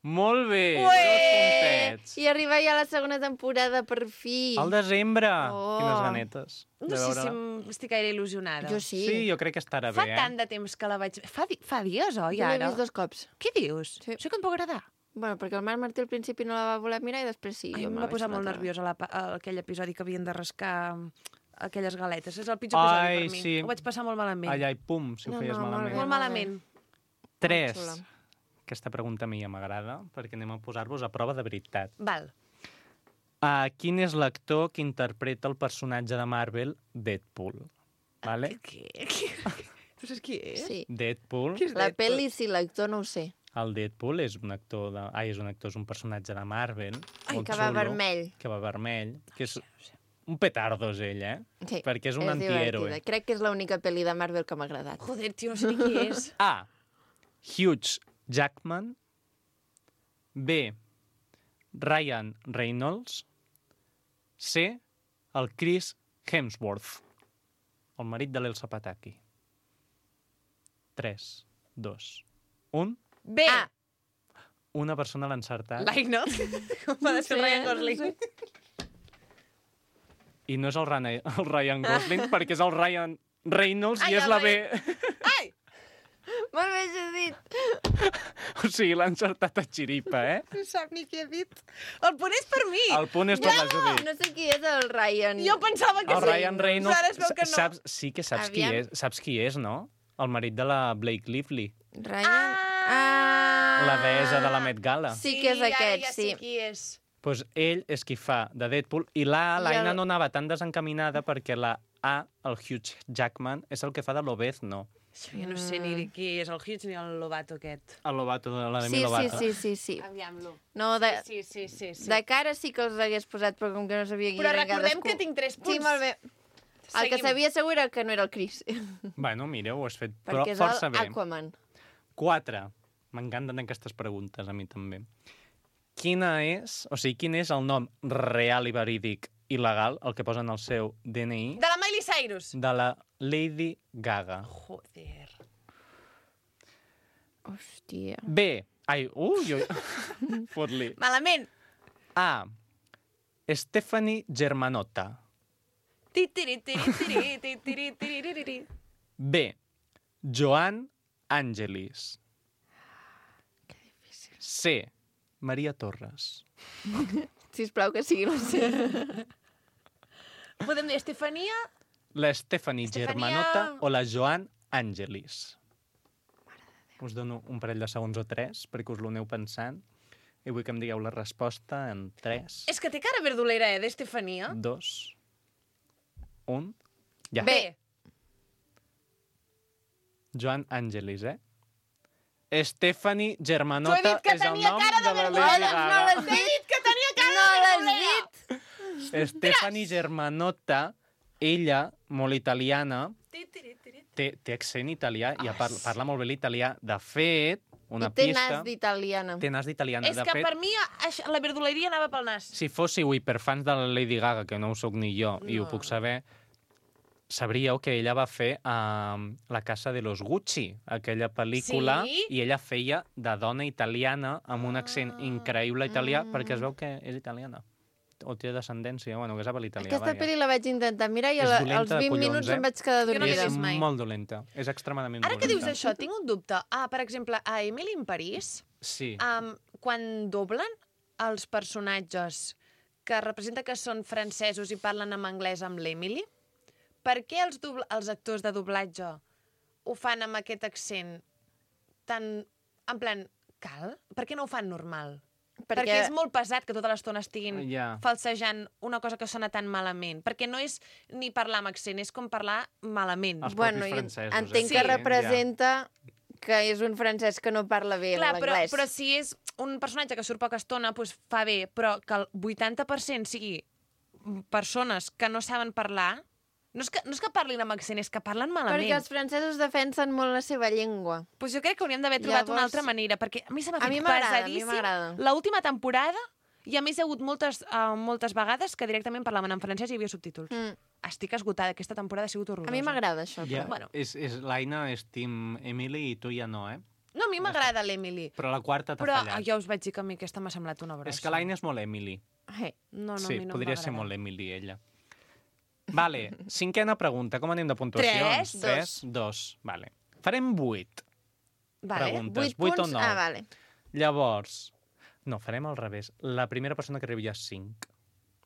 Molt bé! Ué! 2 puntets. I arriba ja la segona temporada, per fi. Al desembre! Oh. Quines ganetes. No sé si estic gaire il·lusionada. Jo sí. Sí, jo crec que estarà Fa bé, tant de temps que la vaig... Fa dies, oi, Jo l'he ara? vist 2 cops. Què dius? Sí. Això que em pot agradar. Bueno, perquè el Marc Martí al principi no la va voler mirar i després sí. Ai, jo em me la va posar vaig molt fotre. nerviosa aquell episodi que havien de rascar aquelles galetes. És el pitjor episodi Ai, per mi. sí. Ho vaig passar molt malament. Ai, pum, si ho No, feies no, molt malament. bé. Molt malament. 3. xula. Aquesta pregunta a mi ja m'agrada, perquè anem a posar-vos a prova de veritat. Val. Quin és l'actor que interpreta el personatge de Marvel Deadpool? Vale? Què? Tu saps qui és? Sí. Deadpool. Qui és La Deadpool? pel·li sí, l'actor no ho sé. El Deadpool és un actor, és un personatge de Marvel. Ai, molt que va xulo, vermell. Que va vermell. Que és un petardo, és ell, eh? Sí, Perquè és un divertida. antihéroe. Crec que és l'única pel·li de Marvel que m'ha agradat. Joder, tio, no sé ni qui és. A. Hugh Jackman. B. Ryan Reynolds. C. El Chris Hemsworth. El marit de l'Elsa Pataki. 3, 2, 1. B. Ah. Una persona l'ha encertat. L'Aina. Com va de ser el Ryan Gosling. I no és el Ryan Gosling, perquè és el Ryan Reynolds Ai, i és el la B. Ai! Molt bé judit. O sigui, l'ha encertat a xiripa, eh? No sap ni què he dit. El punt és per mi. El punt és per la Judit. No sé qui és el Ryan. Jo pensava que El sí. Ryan Reynolds, Ara es veu que no. sí que saps qui Aviam. és. Saps qui és, no? El marit de la Blake Lively, Ryan... la deessa de la Met Gala. Sí que és ara aquest, ja sí. sé qui és. Pues ell és qui fa de Deadpool i l'Aina no anava tan desencaminada perquè la A, el Hugh Jackman, és el que fa de Lobezno. Això jo no sé ni qui és el Hughes ni el Lobato aquest. El Lobato de la Demi Sí, Lovato. sí. Aviam-lo. No, de, Sí. de cara sí que els hagués posat, però com que no sabia qui Però era recordem cadascú. que tinc 3 punts. Sí, molt bé. El que Seguim. sabia segur era que no era el Chris, Bueno, mira, ho has fet però perquè és força el bé. Aquaman. 4. M'encanten aquestes preguntes, a mi també. Quin és el nom real i verídic i legal, el que posen al seu DNI, De la Miley Cyrus. de la Lady Gaga? Joder. Hòstia. B. Fot-li. Malament. A. Stephanie Germanotta. Tiri. B. Joan Angelis. C. Maria Torres. Sisplau que sigui la C. Podem dir Estefania. La Stephanie Estefania- Germanotta o la Joan Angelis. Us dono un parell de segons o 3 perquè us l'aneu pensant i vull que em digueu la resposta en 3, És que té cara verdolera, d'Estefania. 2, 1... Ja. B. Joan Angelis, Stephanie T'ho he Germanotta dit que és el tenia nom cara de de la verdolera. Lady No l'has Gaga. T'he dit que tenia cara No de l'has verdolera. dit? Stephanie Germanotta ella, molt italiana, té accent italià i parla molt bé l'italià. De fet, una I té pista... nas d'italiana. Té nas d'italiana. És De que fet, per mi la verduleria anava pel nas. si fóssiu hiperfans de la Lady Gaga, que no ho sóc ni jo, i ho puc saber, sabríeu que ella va fer La casa de los Gucci, aquella pel·lícula, Sí? i ella feia de dona italiana amb un accent increïble italià, perquè es veu que és italiana. O té descendència, bueno, que sap l'italià. Aquesta pel·li la vaig intentar mirar i És als dolenta de 20 collons, minuts eh? em vaig quedar Jo no l'he dormida. És vist mai. molt dolenta. És extremadament Ara dolenta. que dius això, tinc un dubte. Per exemple, a Emily in Paris, Sí. quan doblen els personatges que representa que són francesos i parlen en anglès amb l'Emily, per què els actors de doblatge ho fan amb aquest accent tan, en plan, cal? Per què no ho fan normal? Perquè és molt pesat que tota l'estona estiguin falsejant una cosa que sona tan malament. Perquè no és ni parlar amb accent, és com parlar malament. Els Bueno, propis francesos. entenc que representa que és un francès que no parla bé l'anglès. Però si és un personatge que surt poca estona, doncs fa bé, però que el 80% sigui persones que no saben parlar, no és que parlin amb accent, és que parlen malament. Perquè els francesos defensen molt la seva llengua. Doncs jo crec que hauríem d'haver trobat una altra manera, perquè a mi se m'ha fet pesadíssim l'última temporada, i a més hi ha hagut moltes vegades que directament parlaven en francès i hi havia subtítols. Estic esgotada, aquesta temporada ha sigut horrorosa. A mi m'agrada això. Ja, l'Aina és Team Emily i tu ja no, eh? No, a mi m'agrada l'Emily. Però la quarta t'ha Però fallat. ja us vaig dir que a mi aquesta m'ha semblat una brossa. És que l'Aina és molt Emily. No, Sí, a mi no podria ser m'agrada. molt Emily, ella. Vale, cinquena pregunta. Com anem de puntuacions? 3, 2. Vale. Farem 8 preguntes. 8 o 9. Ah, vale. Llavors, no, farem al revés. La primera persona que arribi a 5.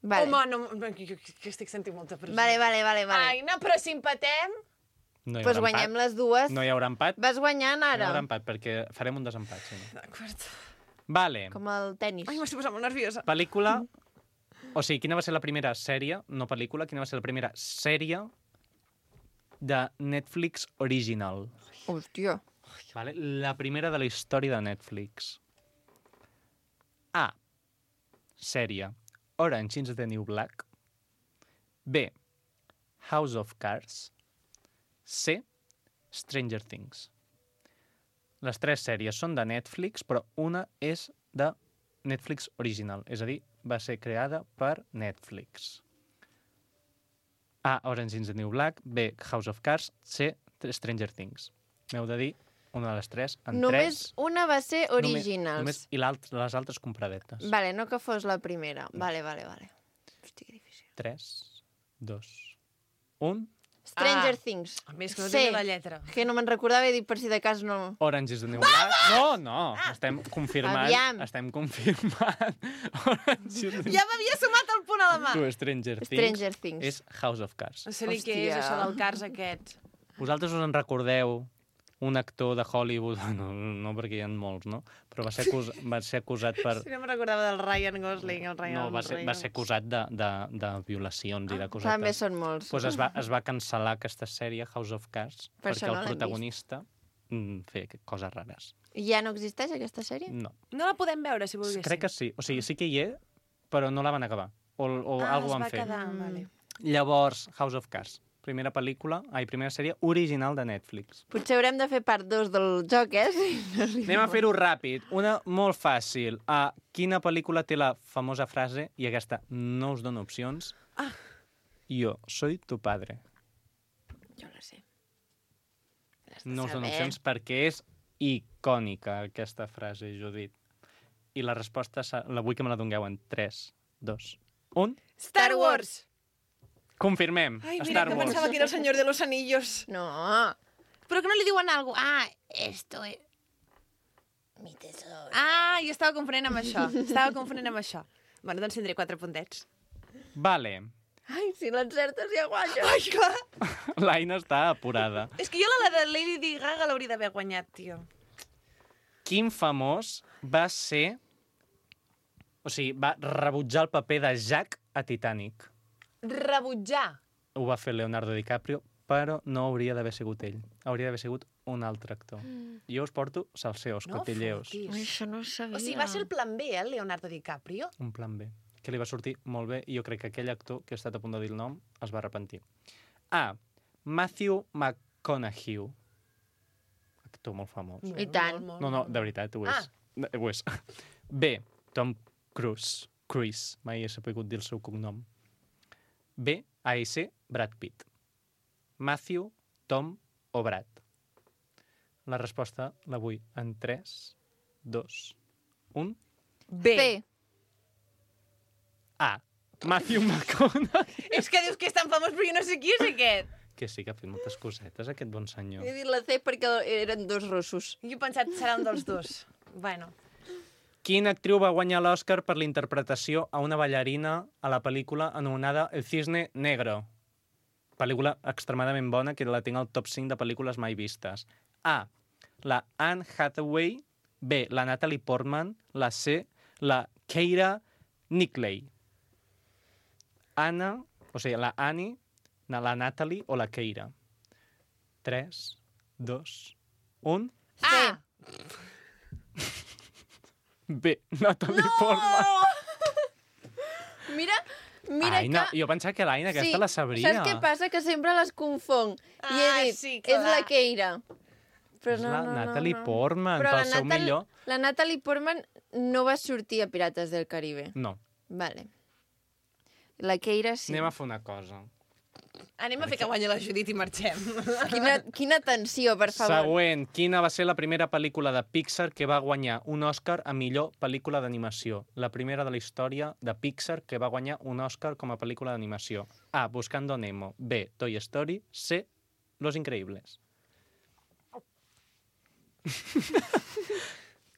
Vale. Home, no, que estic sentint molta pressió. Vale. Aina, però si empatem... No hi Doncs haurà guanyem empat. les dues. No hi haurà empat. Vas guanyant No hi ara. haurà empat, perquè farem un desempat. Si no. D'acord. Vale. Com el tennis. Ai, m'estic posant molt nerviosa. Pel·lícula... O sigui, quina va ser la primera sèrie, no pel·lícula, quina va ser la primera sèrie de Netflix original? Hòstia. Vale? La primera de la història de Netflix. A. Sèrie Orange is the New Black. B. House of Cards. C. Stranger Things. Les tres sèries són de Netflix, però una és de Netflix original, és a dir, va ser creada per Netflix. A. Orange is the New Black. B. House of Cards. C. Stranger Things. M'heu de dir una de les tres en Només 3. una va ser originals. I les altres compradetes. Vale, no que fos la primera. Vale. Hòstia, que difícil. 3, 2, 1... Stranger Things. A més, que no Sí. tenia la lletra. Que no me'n recordava i dic per si de cas no... Orange is the New Black. No. Estem confirmant. Aviam. Estem confirmant. Orange is the New Ja m'havia sumat el punt a la mà. Tu, Stranger Things. És House of Cards. No sé ni què és això del Cars aquest. Vosaltres us en recordeu un actor de Hollywood, no perquè hi ha molts, no? Però va ser acusat per... Sí, no me'n recordava del Ryan Gosling. va ser acusat de violacions i de cosetes. També són molts. Pues es va cancel·lar aquesta sèrie, House of Cards, Per perquè això no el l'hem protagonista feia coses rares. Ja no existeix aquesta sèrie? No. No la podem veure, si volguéssim. Crec que sí. O sigui, sí que hi és, però no la van acabar. O alguna van fer. Quedar, vale. Llavors, House of Cards. Primera sèrie original de Netflix. Potser haurem de fer part 2 del joc, eh? Anem a fer-ho ràpid. Una molt fàcil. Quina pel·lícula té la famosa frase, i aquesta no us dono opcions, Yo soy tu padre? Jo la sé. No us dono opcions perquè és icònica, aquesta frase, Judit. I la resposta la vull que me la dongueu en 3, 2, 1... Star Wars! Confirmem. Ai, mira, Star que Wars. pensava que era el senyor de los anillos. No. Però que no li diuen algo. Esto es... mi tesoro. Jo estava confonent amb això. Bueno, doncs tindré 4 puntets. Vale. Ai, si l'encertes ja guanya. Ai, clar! L'Aina està apurada. És que jo la de Lady Gaga l'hauria d'haver guanyat, tio. Quin famós va ser... O sigui, va rebutjar el paper de Jack a Titanic. Rebutjar. Ho va fer Leonardo DiCaprio, però no hauria d'haver sigut ell. Hauria d'haver sigut un altre actor. Jo us porto salseos, cotilleos. Ai, això no ho sabia. O sigui, va ser el plan B, el Leonardo DiCaprio? Un plan B. que li va sortir molt bé i jo crec que aquell actor, que he estat a punt de dir el nom, es va arrepentir. A. Matthew McConaughey. Actor molt famós. I tant. No, de veritat, ho és. Ho és. B. Tom Cruise. Mai he sabut dir el seu cognom. B. A.S. Brad Pitt. Matthew, Tom o Brad. La resposta la vull en 3, 2, 1... B. A. Matthew McConaughey. És que dius que és tan famós, però jo no sé qui és aquest. Que sí, que ha fet moltes cosetes, aquest bon senyor. He dit la C perquè eren dos russos. Jo he pensat que serà un dels dos. Bueno. Quina actriu va guanyar l'Oscar per la interpretació a una ballarina a la pel·lícula anomenada El Cisne Negro? Pel·lícula extremadament bona, que la tinc al top 5 de pel·lícules mai vistes. A. La Anne Hathaway. B. La Natalie Portman. La C. La Keira Knightley. Anna, o sigui, la Annie, la Natalie o la Keira. 3, 2, 1... A. B. Natalie Portman. Mira Aina, que... jo pensava que l'Aina aquesta la sabria. Saps què passa? Que sempre les confong. I he dit, sí, clar. és la Keira. Però És la Natalie Portman, Però pel seu millor. La Natalie Portman no va sortir a Pirates del Caribe. No. Vale. La Keira sí. Anem a fer una cosa. Anem a fer que guanyi la Judit i marxem. Quina tensió, per favor. Següent. Quina va ser la primera pel·lícula de Pixar que va guanyar un Oscar a millor pel·lícula d'animació? La primera de la història de Pixar que va guanyar un Oscar com a pel·lícula d'animació. A. Buscando Nemo. B. Toy Story. C. Los Increíbles.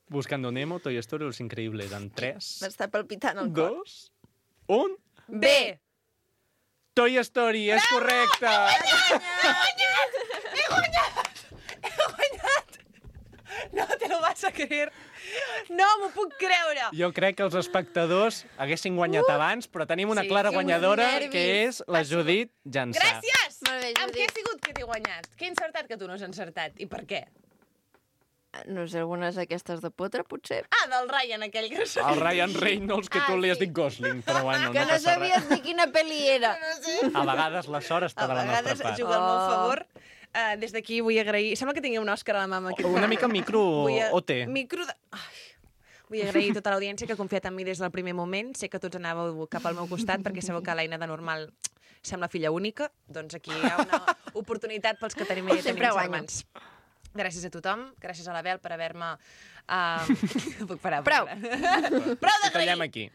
Buscando Nemo, Toy Story, Los Increíbles. En 3, M'està palpitant el cor. 2, 1... B. Toy Story, és correcte! He guanyat! No te lo vas a creer. No m'ho puc creure. Jo crec que els espectadors haguessin guanyat abans, però tenim una clara guanyadora, nervis. que és la Judit Jansà. Gràcies! Molt bé, Amb què Judit. ha sigut que t'he guanyat? Què he encertat que tu no has encertat? I per què? No sé, algunes d'aquestes de potre, potser. Ah, del Ryan, aquell que no El Ryan Reynolds, que tu li has dit Gosling, però bueno, Que no no passa sabies res. ni quina pel·li era. A vegades la sort està A de la nostra vegades part. juga al meu favor. Des d'aquí vull agrair... Sembla que tingui un Òscar a la mama. Una mica micro OT. Micro de... Ai. Vull agrair tota l'audiència que ha confiat en mi des del primer moment. Sé que tots anàveu cap al meu costat perquè sabeu que l'Aina de normal sembla filla única. Doncs aquí hi ha una oportunitat pels que tenim Sempre guanyo. germans. Gràcies a tothom, gràcies a la Bel per haver-me... Puc parar. Prou. Prou Ho tallem d'agrair! aquí.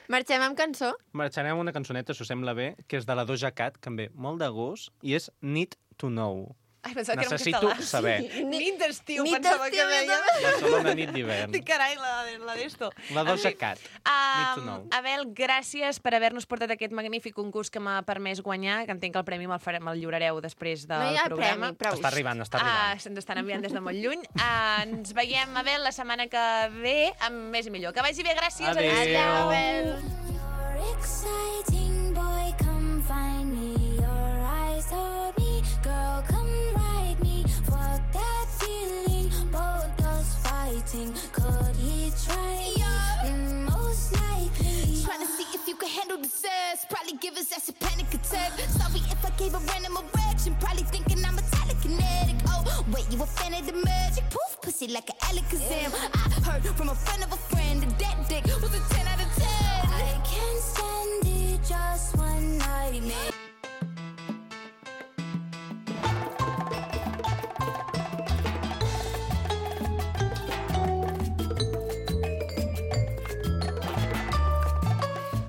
Marxem amb cançó? Marxarem amb una cançoneta, si us sembla bé, que és de la Doja Cat, que em ve molt de gust, i és Need to Know. Ai, pensava que era en Necessito català. saber. Nit d'estiu, Nit pensava que d'estiu, deia. Barcelona, nit d'hivern. Dic, carai, la d'esto. La Doja Cat. Need to Know. Abel, gràcies per haver-nos portat aquest magnífic concurs que m'ha permès guanyar, que entenc que el premi me'l lliurareu després del No hi ha programa. premi, prou. Està arribant, està arribant. Se'ns estan enviant des de molt lluny. Ens veiem, Abel, la setmana que ve amb més i millor. Que vagi bé, gràcies. Adéu. Abel. You're exciting, boy, come find me. Your eyes told me, girl, come ride me. Fuck that feeling, both us fighting. Could he try? Most likely. Trying to see if you can handle the stress. Probably give his ass a panic attack. Sorry if I gave a random erection. Probably thinking I'm a telekinetic. Oh, wait, you a fan of the magic? Poof, pussy like an Alakazam. I heard from a friend of a friend that that dick was a 10 out of 10. I can't stand it, just one night, man.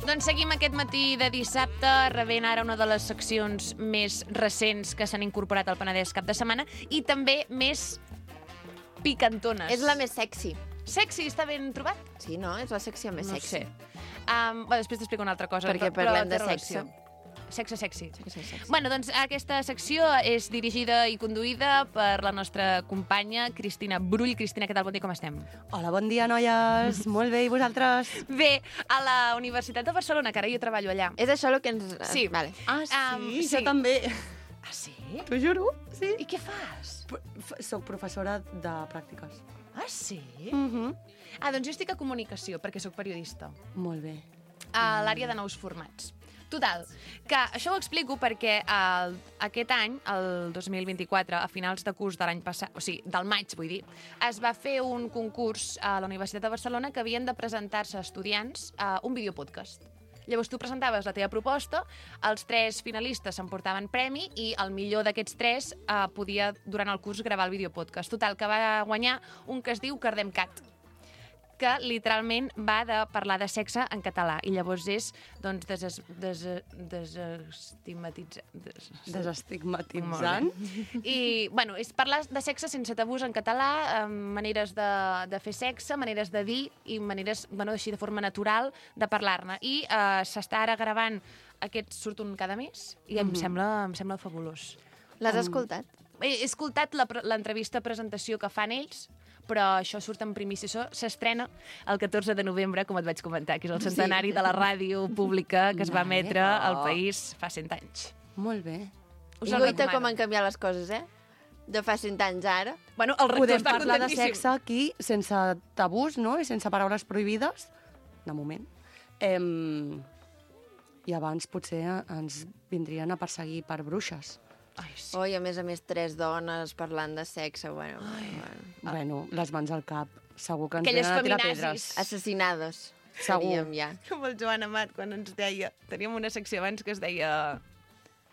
Doncs seguim aquest matí de dissabte, rebent ara una de les seccions més recents que s'han incorporat al Penedès cap de setmana i també més picantones. És la més sexy. Sexy, està ben trobat? Sí, no? És la secció més No sexy. sé. Després t'explico una altra cosa. Perquè però parlem té de relació. sexe. Sexe sexy. Sexy. Bueno, doncs aquesta secció és dirigida i conduïda per la nostra companya Cristina Brull. Cristina, què tal? Bon dia, com estem? Hola, bon dia, noies. Molt bé, i vosaltres? Bé, a la Universitat de Barcelona, que ara jo treballo allà. És això el que ens... Sí. Vale. Ah, sí, sí. jo també. Ah, sí? T'ho juro, sí. I què fas? Soc professora de pràctiques. Ah, sí? Mhm. Ah, doncs jo estic a comunicació, perquè sóc periodista. Molt bé. a l'àrea de nous formats. Total, que això ho explico perquè aquest any, el 2024, a finals de curs de l'any passat, o sigui, del maig, vull dir, es va fer un concurs a la Universitat de Barcelona que havien de presentar-se estudiants a un videopodcast. Llavors tu presentaves la teva proposta, els 3 finalistes s'emportaven premi i el millor d'aquests 3 podia, durant el curs, gravar el videopodcast. Total, que va guanyar un que es diu Cardem Cat, que literalment va de parlar de sexe en català. I llavors és, doncs, Desestigmatitzant. I, bueno, és parlar de sexe sense tabús en català, maneres de fer sexe, maneres de dir i maneres, bueno, així de forma natural de parlar-ne. I s'està ara gravant, aquest surt un cada mes i em sembla fabulós. L'has escoltat? He escoltat l'entrevista presentació que fan ells, però això surt en primícia. Això s'estrena el 14 de novembre, com et vaig comentar, que és el centenari de la ràdio pública que es va emetre al país fa 100 anys. Molt bé. Us I el guaita recomano. com han canviat les coses, De fa 100 anys ara. Bueno, el rector Podem està parlar de contentíssim. sexe aquí sense tabús, no? I sense paraules prohibides, de moment. I abans potser ens vindrien a perseguir per bruixes. Ai, sí. I a més 3 dones parlant de sexe, bueno. Bueno, les mans al cap. Segur que ens Aquelles venen a tirar feminazis. pedres. Assassinades. Segur. Seríem ja. Com el Joan Amat, quan ens deia... Teníem una secció abans que es deia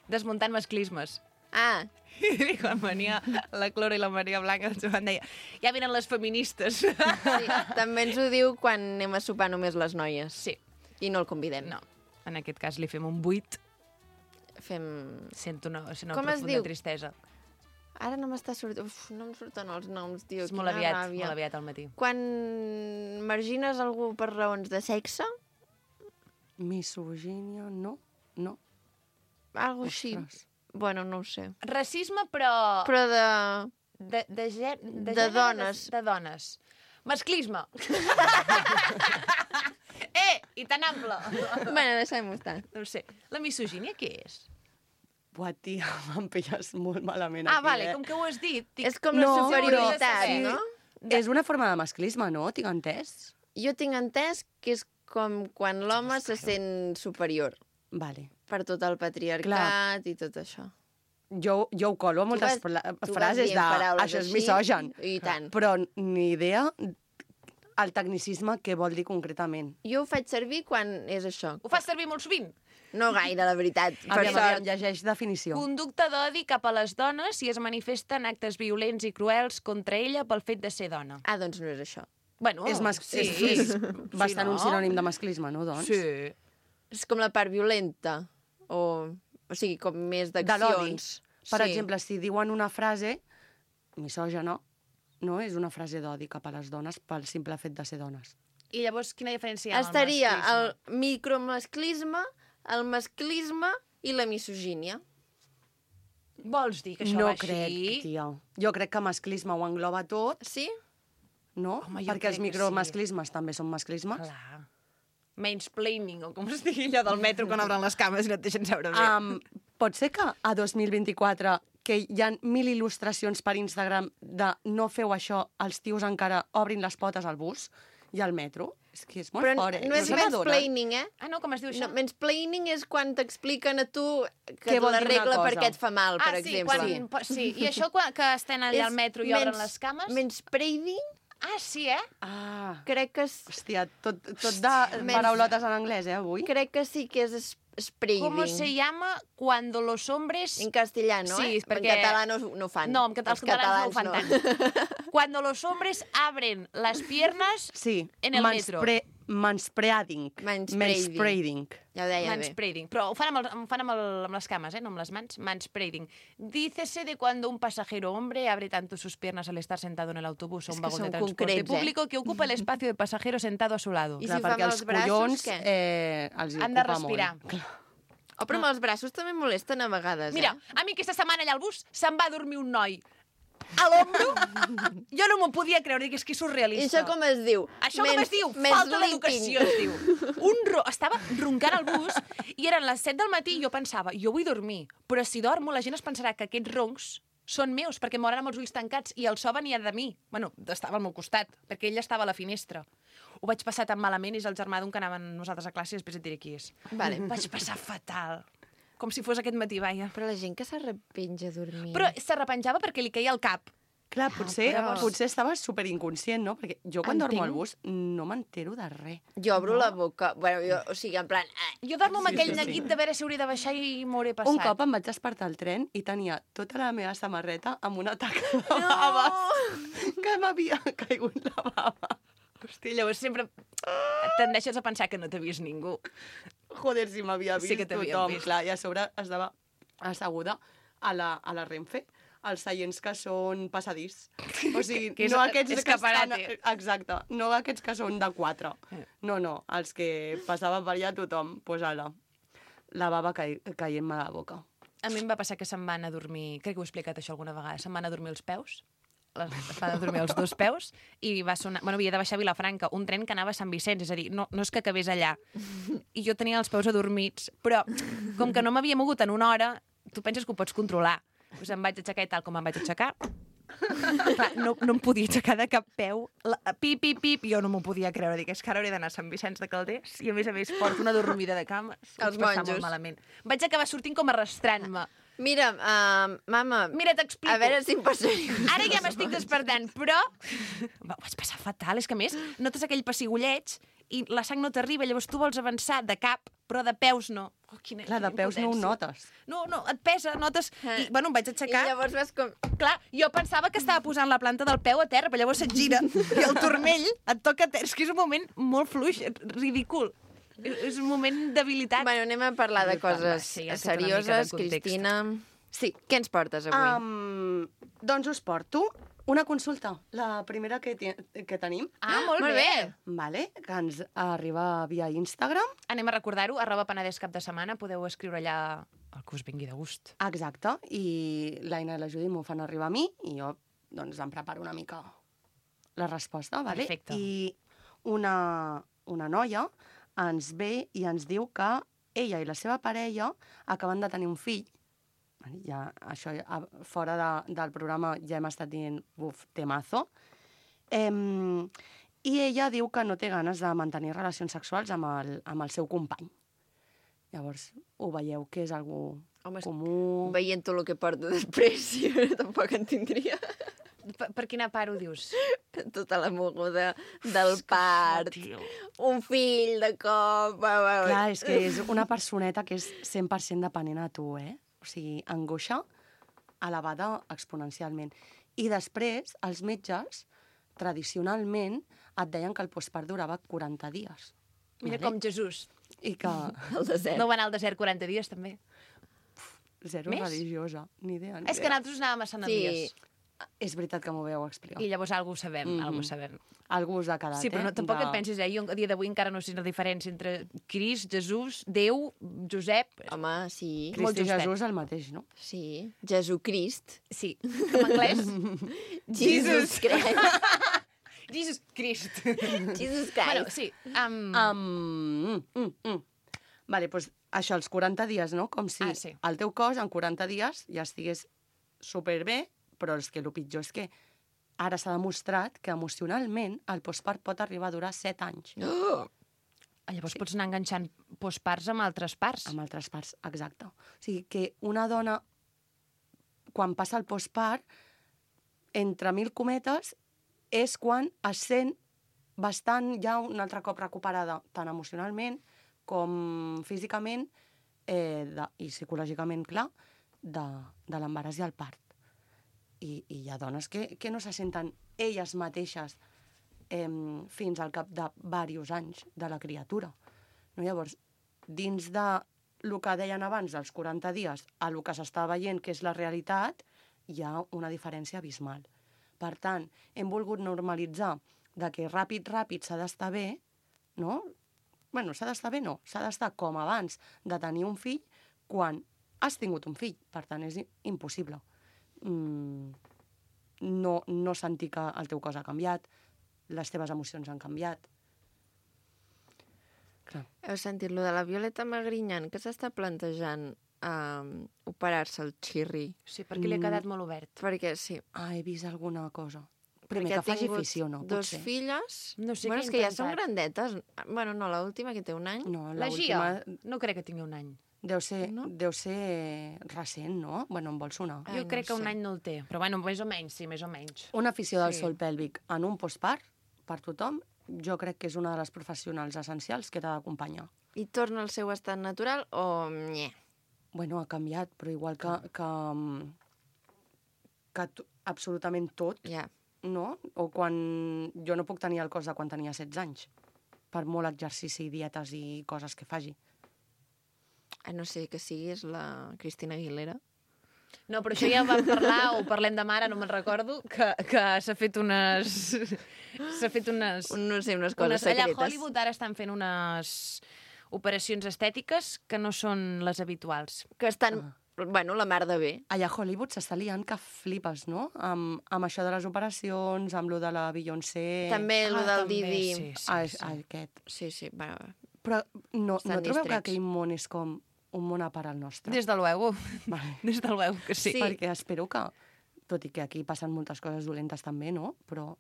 Desmuntant masclismes. Ah, I quan venia la Clora i la Maria Blanca, el Joan deia, ja venen les feministes. sí. També ens ho diu quan anem a sopar només les noies. Sí. I no el convidem. No, en aquest cas li fem un 8. Sento una Com es profunda diu? tristesa. Ara no m'està sortint... Uf, no em surten els noms, tio. És molt aviat al matí. Quan margines algú per raons de sexe, Misogínia, no? No. algo així. Ostres. Bueno, no ho sé. Racisme, però... Però de... De De dones. De dones. Masclisme. I tan ample. Bueno, deixem-ho estar. No ho sé. La misogínia què és? Buah, tia, me'n pilles molt malament Ah, aquí, vale, com que ho has dit... És com la No, superioritat, però- no? És una forma de masclisme, no? Tinc entès? Jo tinc entès que és com quan l'home se sent superior Vale. per tot el patriarcat i tot això. Jo ho colo a moltes Tu vas frases dient de paraules això és així, misogen. I tant. Però ni idea el tecnicisme què vol dir concretament. Jo ho faig servir quan és això. Ho fas servir molt sovint? No gaire, la veritat. Per Aviam, sort. llegeix definició. Conducta d'odi cap a les dones i es manifesten actes violents i cruels contra ella pel fet de ser dona. Ah, doncs no és això. Bueno, És bastant un sinònim de masclisme, no, doncs? Sí. És com la part violenta. O sigui, com més De l'odi. d'accions. Per exemple, si diuen una frase misògena, no? És una frase d'odi cap a les dones pel simple fet de ser dones. I llavors, quina diferència hi ha amb Estaria el masclisme? micromasclisme, el masclisme i la misogínia. Vols dir que això No va crec, així? tia. Jo crec que masclisme ho engloba tot, Sí? no? Home, jo Perquè els crec que micromasclismes també són masclismes. Clar. Mansplaining, o com es digui allò del metro quan obren les cames i no et deixen seure bé. Pot ser que a 2024, que hi ha 1000 il·lustracions per Instagram de no feu això, els tios encara obrin les potes al bus i al metro? És que és molt Però fort, no és se n'adonen? mansplaining, Ah, no, com es diu això? No, mansplaining és quan t'expliquen a tu que Què vol la dir una regla cosa? perquè et fa mal, per sí, exemple. sí, i això quan, que estan allà al metro i obren les cames? Manspreading, Ah, sí, eh? Ah, crec que, hòstia, tot de paraulotes en anglès, anglès, crec que sí que és spreading. ¿Cómo se llama cuando los hombres... En castellano, Sí, perquè... En català no ho fan. No, en català, els catalans no ho fan no. tant. Cuando los hombres abren las piernas Sí, en el metro. manspreading. Manspreading. Ja ho deia bé. Manspreading. Però ho fan, amb les cames, no amb les mans. Manspreading. Dícese de cuando un pasajero hombre abre tanto sus piernas al estar sentado en el autobús o un que vagón de són transporte concrets, público que ocupa el espacio del pasajero sentado a su lado. I Clar, si ho fa perquè amb els els braços, collons què? els hi Han de ocupa respirar. molt. Oh, però amb els braços també molesten a vegades, Mira, a mi aquesta setmana allà al bus se'n va dormir un noi a l'ombro. Jo no m'ho podia creure, dic, és que és I surrealista. això com es diu? Això com es diu? Falta d'educació, es diu. Estava roncant al bus i eren les 7 del matí i jo pensava, jo vull dormir, però si dormo la gent es pensarà que aquests roncs són meus, perquè moran amb els ulls tancats i el so venia de mi. Bueno, estava al meu costat, perquè ell estava a la finestra. Ho vaig passar tan malament, és el germà d'un que anàvem nosaltres a classe i després et diré qui és. Vale. Vaig passar fatal. Com si fos aquest matí, vaja. Però la gent que s'arrepenja a dormir... Però s'arrepenjava perquè li caia al cap. Clar, potser, però- potser estava superinconscient, no? Perquè jo quan dormo al Entenc. bus no m'entero de res. Jo obro la boca... Bueno, jo, o sigui, en plan... Jo dormo amb aquell sí. neguit de veure si hauria de baixar i m'hauré passat. Un cop em vaig despertar al tren i tenia tota la meva samarreta amb una taca de baves que m'havia caigut la bava. Hòstia, llavors sempre tendeixes a pensar que no t'ha vist ningú. Joder, si m'havia vist Sí que t'havien tothom. vist. Clar, i a sobre estava asseguda a la Renfe, als seients que són passadís. O sigui, Que és no aquests que estan... escaparate. Exacte, no aquests que són de 4. No, els que passaven per allà tothom, pues ala, la bava caient-me a la boca. A mi em va passar que se'm van a dormir... Crec que ho he explicat això alguna vegada. Se'm van a dormir els peus. Es van a dormir els 2 peus i va sonar... Bueno, havia de baixar a Vilafranca, un tren que anava a Sant Vicenç, és a dir, no és que acabés allà. I jo tenia els peus adormits, però com que no m'havia mogut en una hora, tu penses que ho pots controlar. Doncs em vaig aixecar i tal com em vaig aixecar. Clar, no em podia aixecar de cap peu. Pip, pip, pip, jo no m'ho podia creure. Dic, és que ara hauré d'anar a Sant Vicenç de Calders i a més porto una dormida de cama. Els Vaig passar monjos. molt malament. Vaig acabar sortint com arrastrant-me. Mira, mama... Mira, t'explico. A veure si em passaria. Ara ja m'estic despertant, però... Ho vaig passar fatal. És que, a més, notes aquell pessigolleig i la sang no t'arriba, llavors tu vols avançar de cap, però de peus no. Oh, quina Clar, de peus no ho impotència. notes. No, et pesa, notes... I, bueno, em vaig I aixecar... llavors vas com... Clar, jo pensava que estava posant la planta del peu a terra, però llavors se't gira i el turmell et toca a terra. És que és un moment molt fluix, ridícul. És un moment d'habilitat. Bueno, anem a parlar de coses Sí, ja has fet una mica de serioses. context. Cristina... Sí, què ens portes avui? Doncs us porto una consulta, la primera que tenim. Ah, molt bé. Vale, que ens arriba via Instagram. Anem a recordar-ho, @Penedès cap de setmana, podeu escriure allà el que us vingui de gust. Exacte, i l'Aina i la Judit m'ho fan arribar a mi i jo doncs em preparo una mica la resposta, vale? Perfecte. I una noia ens ve i ens diu que ella i la seva parella acaben de tenir un fill. Ja, això, fora del programa ja hem estat dient, temazo. I ella diu que no té ganes de mantenir relacions sexuals amb el seu company. Llavors, ho veieu que és algú comú... Veient tot el que porta després, jo tampoc en tindria. Per quina part ho dius? Tota la moguda del part, un fill de cop... Clar, és que és una personeta que és 100% depenent a tu, O sigui, angoixa elevada exponencialment. I després, els metges, tradicionalment, et deien que el postpart durava 40 dies. Mira com Jesús. I que... El desert. No va anar al desert 40 dies, també. Zero Més? religiosa, ni idea. És que nosaltres anàvem a Sant Elies. És veritat que m'ho veu explicar. I llavors algú ho sabem, algú ho sabem. Algú us ha quedat, Sí, però no, tampoc et pensis, Jo a dia d'avui encara no sé la diferència entre Crist, Jesús, Déu, Josep... Home, sí. Crist i Jesús el mateix, no? Sí. Jesucrist. Sí. En anglès? Jesus Christ. Jesus Christ. Jesus Christ. Bueno, sí. Vale, doncs això, els 40 dies, no? Com si sí. el teu cos en 40 dies ja estigués superbé, però és que el pitjor és que ara s'ha demostrat que emocionalment el postpart pot arribar a durar 7 anys. Llavors pots anar enganxant postparts amb altres parts. Amb altres parts, exacte. O sigui que una dona, quan passa el postpart, entre 1000 cometes, és quan es sent bastant ja un altre cop recuperada, tant emocionalment com físicament i psicològicament, clar, de l'embaràs i el part. I hi ha dones que no se senten elles mateixes fins al cap de diversos anys de la criatura. No? Llavors, dins de el que deien abans dels 40 dies a el que s'està veient que és la realitat, hi ha una diferència abismal. Per tant, hem volgut normalitzar de que ràpid s'ha d'estar bé, no? Bueno, s'ha d'estar bé, no. S'ha d'estar com abans de tenir un fill quan has tingut un fill. Per tant, és impossible. No sentir que el teu cos ha canviat, les teves emocions han canviat. Clar. Heu sentit lo de la Violeta Magrinyan, que s'està plantejant operar-se el xirri? Sí, perquè li ha quedat molt obert. Perquè sí. Ah, he vist alguna cosa. Primer Perquè que faci ha tingut afició, no? 2 Potser. filles. No sé Bueno, què és ha que ja són intentat. grandetes. Bueno, no, l'última que té un any. No, La Gia, l'última no crec que tingui un any. deu ser, No? deu ser recent, no? Bueno, em vol sonar. Ai, Jo no crec que un sé. any no el té, però bueno, més o menys, sí, més o menys. Una afició del Sí. sol pèlvic en un postpart, per tothom, jo crec que és una de les professionals essencials que t'ha d'acompanyar. I torna al seu estat natural o... Nye. Bueno, ha canviat, però igual que absolutament tot, Ja. no? O quan... Jo no puc tenir el cos de quan tenia 16 anys, per molt exercici, dietes i coses que faci. No sé, que siguis la Cristina Aguilera. No, però això ja vam parlar, o parlem demà, ara no me'n recordo, que s'ha fet unes... S'ha fet unes... No sé, unes coses allà secretes. a Hollywood ara estan fent unes operacions estètiques que no són les habituals. Que estan, bueno, la mar de bé. Allà a Hollywood s'està liant que flipes, no? Amb això de les operacions, amb lo de la Beyoncé... També el del també, Didi. sí, sí, Ah, sí. aquest. Sí, sí, va. Però no Estan trobeu que distrets. aquell món és com un món a part al nostre? Des de luego. Vale. Des de luego que sí. Sí. Perquè espero que, tot i que aquí passen moltes coses dolentes també, no? Però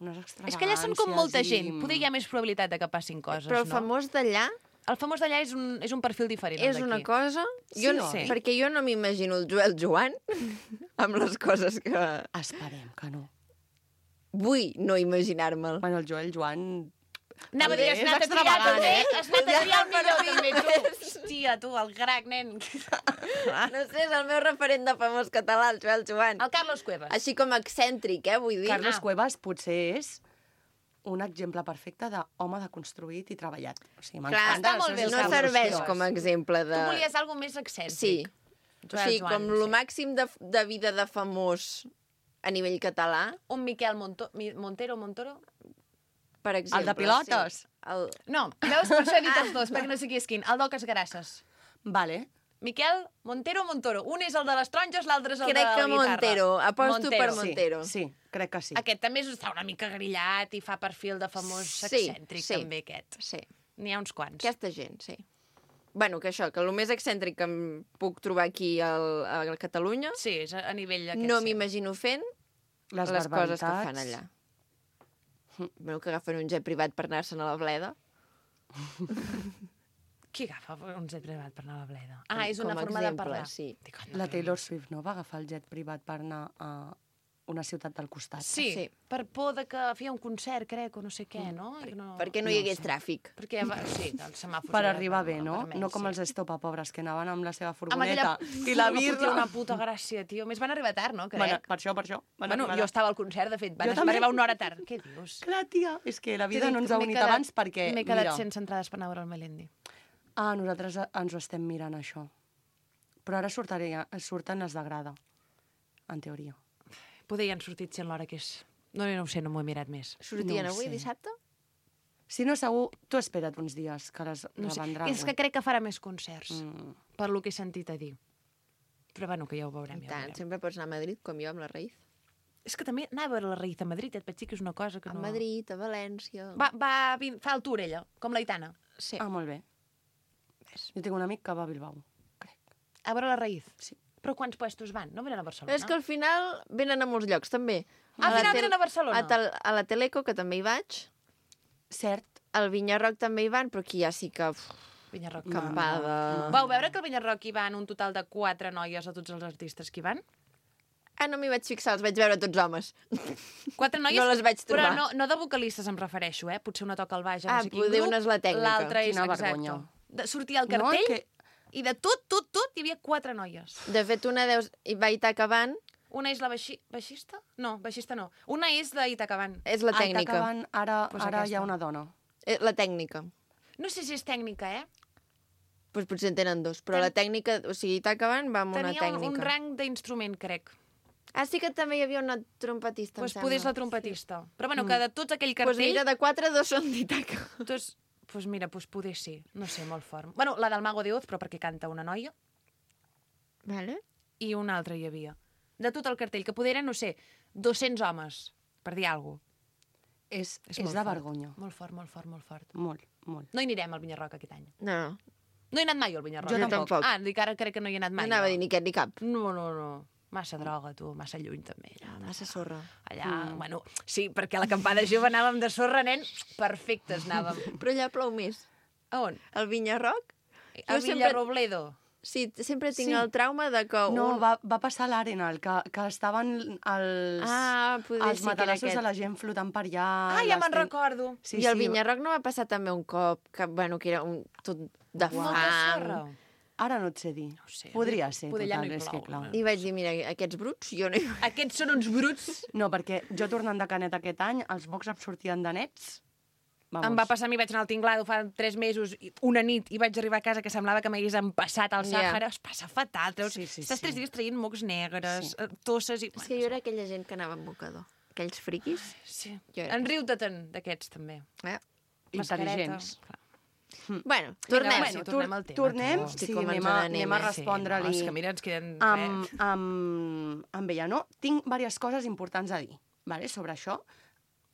unes extravagàncies... És que allà són com molta i- gent. Poder hi ha més probabilitat de que passin coses, Però el no? famós d'allà El famós d'allà és un perfil diferent. el és una d'aquí. cosa... Sí, Jo, oi? Perquè jo no m'imagino el Joel Joan amb les coses que... Esperem que no. Vull no imaginar-me'l. Bueno, el Joel Joan... Anava a dir, has És anat a triar extravagant, també? eh? Has anat a triar el millor també, tu. Hòstia, tu, el crac, nen. No sé, és el meu referent de famós català, el Joel Joan. El Carlos Cuevas. Així com excèntric, vull dir. Carlos Cuevas potser és un exemple perfecte d'home deconstruït i treballat. O sigui, Clar, m'encanta està molt bé el les seves no Carlos serveix Cuevas. com a exemple de... Tu volies alguna més excèntric. Sí. O sigui, Joan, com lo màxim de vida de famós a nivell català, Un Miquel Montero? per exemple. El de pilotes? Sí. El... No, veus, per això he dit els dos, perquè no sé qui és quin. El d'Oques Grasses. Vale. Miquel Montero. Un és el de les taronges, l'altre és el de Crec la que guitarra. Montero. Aposto per Sí, Montero. sí, crec que sí. Aquest també està una mica grillat i fa perfil de famós Sí, excèntric, sí. també, aquest. Sí. N'hi ha uns quants. Aquesta gent, sí. Bueno, que això, que el més excèntric que em puc trobar aquí a Catalunya, Sí, és a nivell aquest. no sí. m'imagino fent Les les coses que barbaritats. fan allà. Bueno, que agafen un jet privat per anar-se'n a la bleda. Qui agafa un jet privat per anar a la bleda? Ah, és una Com a forma de exemple, parlar. sí. Dic, La Taylor Swift, no? Va agafar el jet privat per anar a una ciutat del costat. Sí, Sí. per por de que feia un concert, crec, o no sé què, no? I no... Perquè no hi hagués tràfic. Perquè, sí, el semàfor... Per era arribar bé, no? vermell, No com sí. els Estopa, pobres, que anaven amb la seva Amb furgoneta. aquella... I la Fotia birra... una puta gràcia, tio. A més, van arribar tard, no? Crec. Bueno, per això. Van Bueno, arribar jo tard. estava al concert, de fet. Jo Va també. arribar una hora tard. Què dius? Clar, tia, és que la vida T'he no dit ens ha que m'he unit quedat- abans perquè, M'he quedat mira... sense entrades per anar a veure el Melendi. Ah, nosaltres ens ho estem mirant, això. Però ara surten les de grada, en teoria. Poder ja han sortit sent l'hora que és. No ho sé, no m'ho he mirat més. Sortien No ho avui, sé. dissabte? Si no, segur, tu espera't uns dies, que les No sé. revendrà. És que crec que farà més concerts, Mm. per lo que he sentit a dir. Però bueno, que ja ho veurem. I Ja ho tant, veurem. sempre pots anar a Madrid, com jo amb la Raïz. És que també anar a veure la Raïz a Madrid, et vaig dir que és una cosa que A no... Madrid, a València... Fa el tour, ella, com l'Aitana. Sí. Ah, molt bé. Jo tinc un amic que va a Bilbao, crec. A veure la Raïz. Sí. Però quants puestos van? No venen a Barcelona? Però és que al final venen a molts llocs, també. Al final venen a Barcelona? A la Teleco, que també hi vaig. Cert. Al Vinyarroc també hi van, però aquí ja sí que... Vinyarroc. Campada. Vau veure que al Vinyarroc hi van un total de 4 noies a tots els artistes que hi van? Ah, no m'hi vaig fixar, els vaig veure tots homes. 4 noies? No les vaig trobar. Però no de vocalistes em refereixo, eh? Potser una toca al baix, Ah, no sé quin poder grup. una és la tècnica. L'altra és, Quina exacte. vergonya. Sortia al No, cartell que... i de tot hi havia 4 noies. De fet, una hi va Itacaban, Una és la baixista? No, baixista no. Una és d'Itacaban. és la tècnica. Acabant, ara, Pues ara hi aquesta. ha una dona. La tècnica. No sé si és tècnica, eh? Pues potser en tenen dos, però la tècnica... O sigui, Itacaban va amb una Tenia tècnica. un rang d'instrument, crec. Ah, sí que també hi havia una trompetista, Doncs em poder és la sembla. trompetista. Però bueno, que de tots aquell Doncs cartell... mira, de 4, 2 són d'Itaca. Doncs mira, poder sí. No sé, molt fort. Bueno, la del Mago de Oz, però perquè canta una noia, Vale. i una altra hi havia. De tot el cartell, que poder eren, no sé, 200 homes, per dir alguna cosa. És molt de fort. vergonya. Molt fort, molt fort, molt fort. Molt, molt. No hi anirem al Vinyarroc aquest any. No, no. No he anat mai al Vinyarroc. Jo tampoc. Ah, dic ara crec que no hi he anat No mai. anava a dir ni aquest ni cap. No. Massa droga, tu, massa lluny, també. Allà, Massa sorra. Allà, bueno, sí, perquè a l'acampada jove anàvem de sorra, nen, perfectes anàvem. Però allà plou més. A on? Al Vinyarroc? A Villarrobledo. Sí, sempre tinc Sí. el trauma de que... No, va passar a l'Arenal, que estaven poder els sí que era matalassos aquest. de la gent flotant per allà. Ah, ja me'n recordo. Sí, I el sí. Vinyarroc no va passar també un cop, que era tot de Molta fang. sorra. Ara no et sé dir. No ho sé. Podria ser, Poder allà total, no hi és que plou, clar. I vaig dir, mira, aquests bruts, jo no hi... Aquests són uns bruts. No, perquè jo tornant de Canet aquest any, els mocs em sortien de nets. Vamos. Em va passar a mi, vaig anar al Tinglado fa 3 mesos, una nit, i vaig arribar a casa que semblava que m'hagués empassat al Ja. Sàhara. Es passa fatal. Treus, Sí, sí, estàs sí. 3 dies traient mocs negres, tosses i... És que jo era aquella gent que anava amb mocador. Aquells friquis. Sí. Jo era. En riu-te-te'n d'aquests, també. Intel·ligents. Clar. Bueno, tornem. Vinga, tornem al tema. Tornem, tu. Estic sí, com ens anem a n'anem, respondre-li. Sí, no, és que mira, ens queden... Amb ella, no? Tinc diverses coses importants a dir vale, sobre això.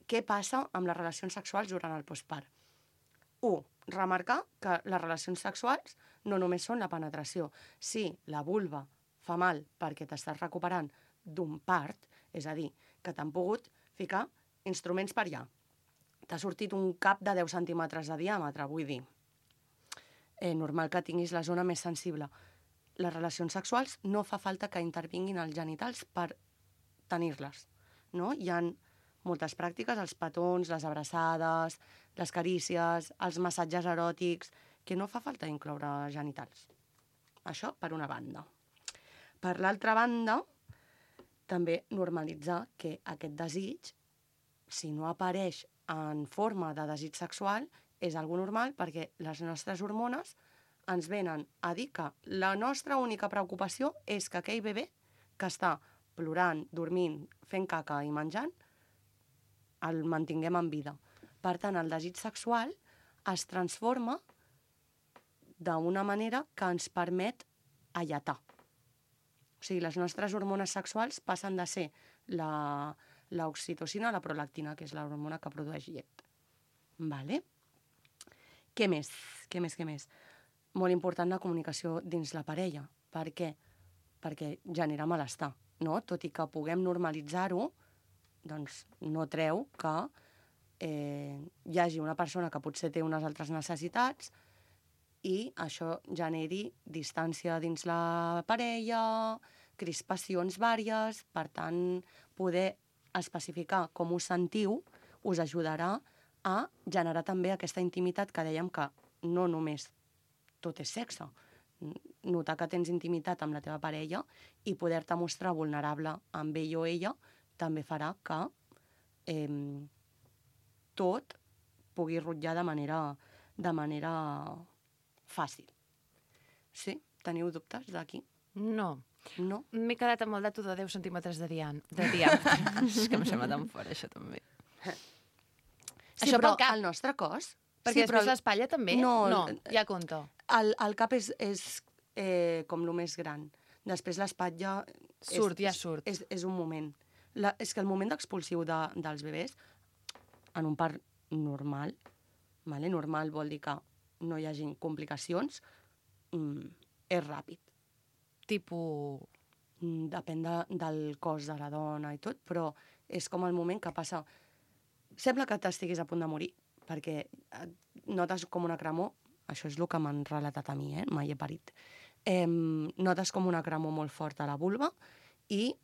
Què passa amb les relacions sexuals durant el postpart? 1. Remarcar que les relacions sexuals no només són la penetració. Si la vulva fa mal perquè t'estàs recuperant d'un part, és a dir, que t'han pogut ficar instruments per allà. T'ha sortit un cap de 10 centímetres de diàmetre, vull dir. Normal que tinguis la zona més sensible. Les relacions sexuals no fa falta que intervinguin els genitals per tenir-les. No? Hi ha moltes pràctiques, els petons, les abraçades, les carícies, els massatges eròtics, que no fa falta incloure genitals. Això per una banda. Per l'altra banda, també normalitzar que aquest desig, si no apareix en forma de desig sexual, és algo normal perquè les nostres hormones ens venen a dir que la nostra única preocupació és que aquell bebè que està plorant, dormint, fent caca i menjant, el mantinguem en vida. Per tant, el desig sexual es transforma d'una manera que ens permet alletar. O sigui, les nostres hormones sexuals passen de ser l'oxitocina a la prolactina, que és l'hormona que produeix llet. Vale? Què més? Molt important la comunicació dins la parella. Per què? Perquè genera malestar, no? Tot i que puguem normalitzar-ho, doncs no treu que hi hagi una persona que potser té unes altres necessitats i això generi distància dins la parella, crispacions vàries. Per tant, poder especificar com us sentiu us ajudarà a generar també aquesta intimitat que dèiem que no només tot és sexe. Notar que tens intimitat amb la teva parella i poder-te mostrar vulnerable amb ell o ella també farà que tot pugui rutllar de manera fàcil. Sí? Teniu dubtes d'aquí? No. No? M'he quedat amb el dato de 10 centímetres de diàmetre. És que em sembla tan fora, això també. Sí, Això però pel cap. el nostre cos... Perquè sí, però després l'espatlla també? No, ja compta. el cap és com el més gran. Després l'espatlla... Ja surt. És un moment. És que el moment expulsiu dels bebès, en un part normal, vale? Normal vol dir que no hi hagin complicacions, és ràpid. Depèn del cos de la dona i tot, però és com el moment que passa... Sembla que t'estiguis a punt de morir, perquè notes com una cremor, això és el que m'han relatat a mi, mai he parit. Notes com una cremor molt forta a la vulva i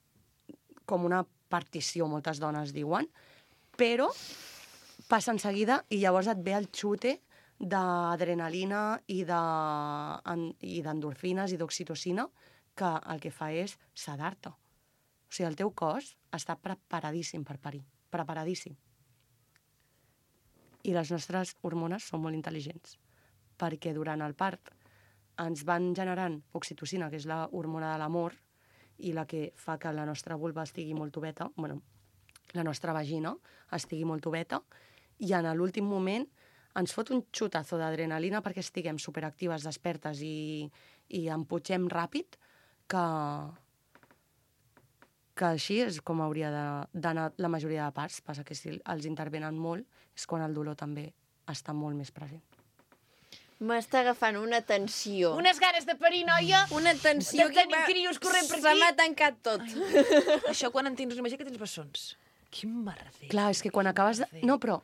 com una partició, moltes dones diuen, però passa en seguida i llavors et ve el xute d'adrenalina i d'endorfines i d'oxitocina que el que fa és sedar-te. O sigui, el teu cos està preparadíssim per parir, preparadíssim. I les nostres hormones són molt intel·ligents, perquè durant el part ens van generant oxitocina, que és la hormona de l'amor, i la que fa que la nostra vulva estigui molt oveta, la nostra vagina estigui molt oveta, i en l'últim moment ens fot un xutazo d'adrenalina perquè estiguem superactives, despertes i emputxem ràpid, que així és com hauria d'anar la majoria de parts. Passa que si els intervenen molt és quan el dolor també està molt més present. M'està agafant una tensió. Unes ganes de parir, noia. Una tensió de tenir crios corrent per aquí. Se m'ha tancat tot. Això quan en tens, imagina que tens bessons. Quin merder. Clar, és que quan acabes de... No, però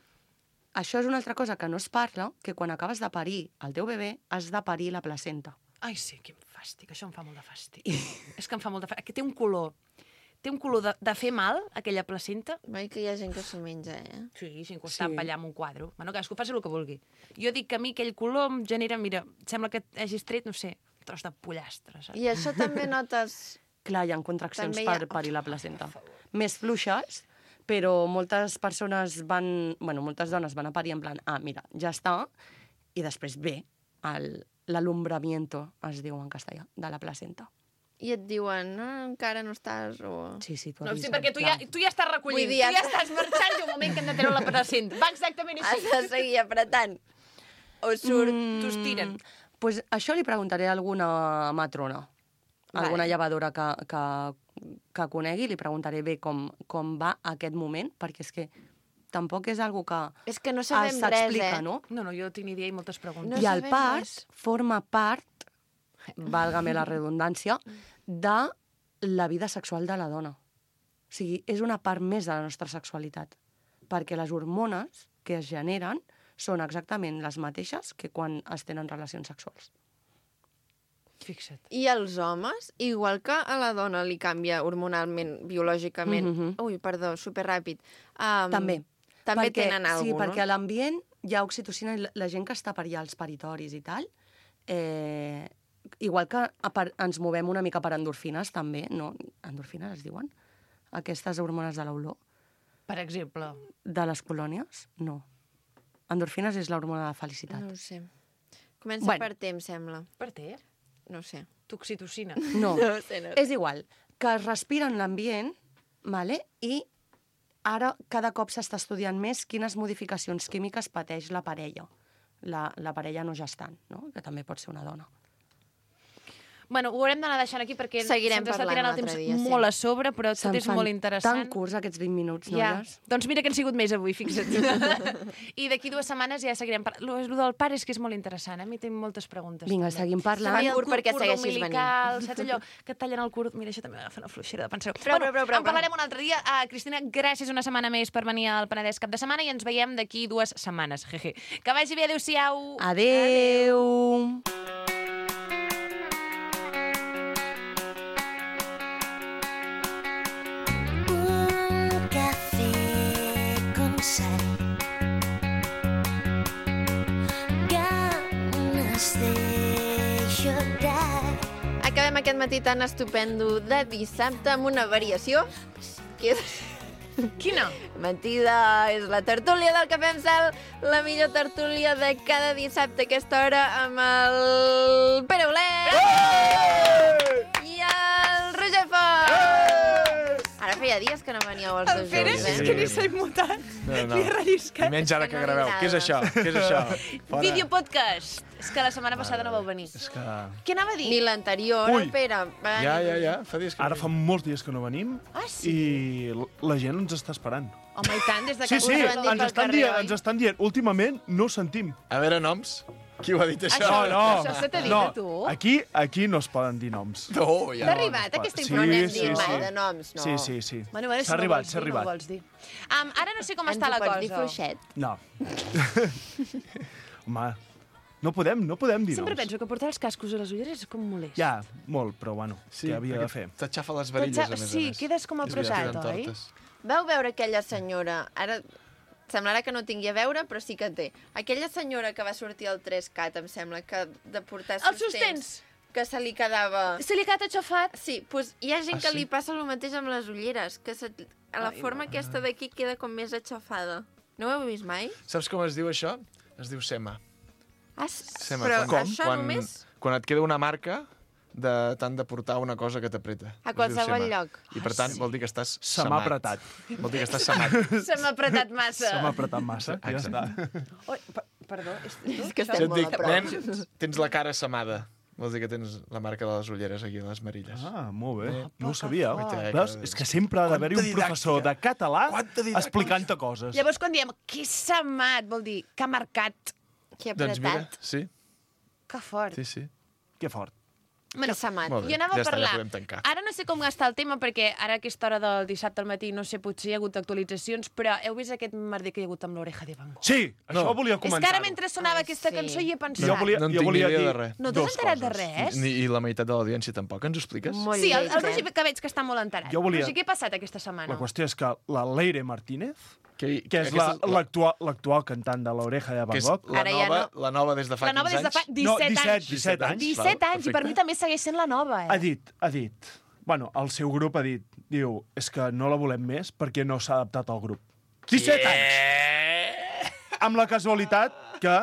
això és una altra cosa que no es parla, que quan acabes de parir el teu bebè, has de parir la placenta. Ai, sí, quin fàstic. Això em fa molt de fàstic. És que em fa molt de fàstic. Que té un color. Té un color de fer mal, aquella placenta. Mai que hi ha gent que s'ho menja, Sí, sin costar allà amb un quadre. Bueno, cadascú faci el que vulgui. Jo dic que a mi aquell color em genera, mira, sembla que hagis tret, no sé, un tros de pollastre, saps? I això també notes... Clar, hi ha contraccions També hi ha- per parir la placenta. Més fluixes, però moltes persones van... Bueno, moltes dones van a parir en plan, mira, ja està, i després ve l'alumbramiento, es diu en castellà, de la placenta. I et diuen, no, encara no estàs, o... Sí, tu No, avises, sí, perquè tu ja estàs recollint, Vull dir, tu ja estàs marxant i un moment que hem de treure la placenta. Va exactament així. Has de seguir apretant. O surt... T'ho estiren. Pues això li preguntaré a alguna matrona, alguna llevadora que conegui, li preguntaré bé com va aquest moment, perquè és que tampoc és algo que És que no sabem res, s'explica, no? No, jo tinc ni idea i moltes preguntes. No I el sabem part res. forma part, válgame la redundància, de la vida sexual de la dona. O sigui, és una part més de la nostra sexualitat, perquè les hormones que es generen són exactament les mateixes que quan es tenen relacions sexuals. Fixa't. I els homes, igual que a la dona li canvia hormonalment, biològicament... Ui, perdó, superràpid. També. També tenen alguna cosa, sí, perquè a l'ambient hi ha oxitocina i la gent que està per allà als paritoris i tal, igual que ens movem una mica per endorfines, també, no? Endorfines es diuen? Aquestes hormones de l'olor. Per exemple. De les colònies? No. Endorfines és l'hormona de felicitat. No ho sé. Comença per T, em sembla. Per T? No ho sé. Toxitocina. No, No ho sé, no. és igual. Que es respira en l'ambient, vale? I ara cada cop s'està estudiant més quines modificacions químiques pateix la parella. La parella no gestant, no? Que també pot ser una dona. Bueno, ho haurem d'anar deixant aquí perquè Seguirem se'ns està parlant tirant el un altre temps dia, sí. molt a sobre, però tot és molt interessant. Tan curts aquests 20 minuts, Ja. noies. Doncs mira que han sigut més avui, fixa't. I d'aquí 2 setmanes ja seguirem parlant. Lo del pare és que és molt interessant, a mi tinc moltes preguntes. Vinga, també. seguim parlant. També el Curt perquè cordó segueixis umbilical, saps allò que et tallen el curt? Mira, això també m'agafa una fluixera de pensar. Prou. En parlarem un altre dia. Cristina, gràcies una setmana més per venir al Penedès cap de setmana i ens veiem d'aquí 2 setmanes. Jeje. Que vagi bé, adéu-siau. Adéu. Un café con sal. Ganas de llorar. Acabem aquest matí tan estupendo de dissabte amb una variació que és... Quina? Mentida, és la tertúlia del Cafè amb Sal, la millor tertúlia de cada dissabte a aquesta hora amb el Pere Olet i el Roger Font. Ara feia dies que no veníeu els dos Pere, junts, és que ni s'ha immutat. No. Li he relliscat. I menys ara És que que no graveu. li Què és això? agrada. Què és això? Fora. Videopodcast. És que la setmana passada no vau venir. És que... Què anava a dir? Ni l'anterior, Ui. el Pere. Ja. Fa dies que Ara fa molts dies que no venim sí? i la gent ens està esperant. Home, i tant, des de Sí, que sí, us ho han dit pel carrer, oi? ens estan dient. Últimament no sentim. A veure, noms. Qui ho ha dit això? Això se t'ha dit a tu? Aquí no es poden dir noms. No, ja. T'ha arribat aquesta Sí, informació? No n'hem sí, dit mai sí. de noms, no. Sí. Bueno, S'ha arribat, s'ha No ho arribat. vols dir. Ara no sé com Ens està ho la pots cosa. dir fluixet? No. Home, no podem dir Sempre noms. penso que portar els cascos a les ulleres és com molest. Ja, molt, però bueno, Sí, què havia de perquè fer? T'aixafa les varilles, a més a Sí, més. quedes com És veritat, apretat, queden oi? tortes. Vau veure aquella senyora... Ara semblarà que no tingui a veure, però sí que té. Aquella senyora que va sortir al 3CAT, em sembla, que de portar Els sostens. que se li quedava... Se li ha quedat aixafat. Sí, doncs hi ha gent que sí? li passa el mateix amb les ulleres, que a la forma aquesta d'aquí queda com més aixafada. No ho heu vist mai? Saps com es diu això? Es diu sema. Sema. Però quan, això quan, només quan et queda una marca de tant de portar una cosa que t'apreta. a Es diu qualsevol sema. lloc. I per tant vol dir que estàs Se m'ha semat. apretat. Vol dir que estàs semat. Se m'ha apretat massa. Se m'ha apretat massa, ja està. Oi, perdó. És que Si estem et molt dic, a prop. nen, tens la cara semada. Vol dir que tens la marca de les ulleres aquí, a les marilles. Ah, molt bé. No ho sabia. Guaita, Veus? És que sempre ha d'haver-hi un Quanta professor de didàctica. català Quanta didàctica. explicant-te coses. Llavors, quan diem que s'ha amat, vol dir que ha marcat. Que ha Doncs mira, apretat. sí. Que fort. Sí, sí. Que fort. Bueno, Molt bé, jo anava ja a està, ja parlar. podem tancar. Ara no sé com gastar el tema, perquè ara a aquesta hora del dissabte al matí, no sé, potser hi ha hagut actualitzacions, però heu vist aquest merder que hi ha hagut amb l'Oreja de Van Gogh? Sí, això volia És que comentar-ho. ara mentre sonava aquesta cançó hi he pensat. Jo volia, No en jo tinc volia ni idea dir de res. No t'has dos enterat de coses. res? I la meitat de l'audiència tampoc. Ens ho expliques? Molt Sí, el lleig, Roger que veig que està molt enterat. Jo volia- Roger, què ha passat aquesta setmana? La qüestió és que la Leire Martínez, que és aquesta és l'actual cantant de l'Oreja de Que Van és Gogh... la nova des de fa La nova 15 des de fa anys. 17 anys. 17 anys. 17 anys, i per perfecte. mi també segueix sent la nova, Ha dit, bueno, el seu grup ha dit, diu, és que no la volem més perquè no s'ha adaptat al grup. 17 anys! Amb la casualitat que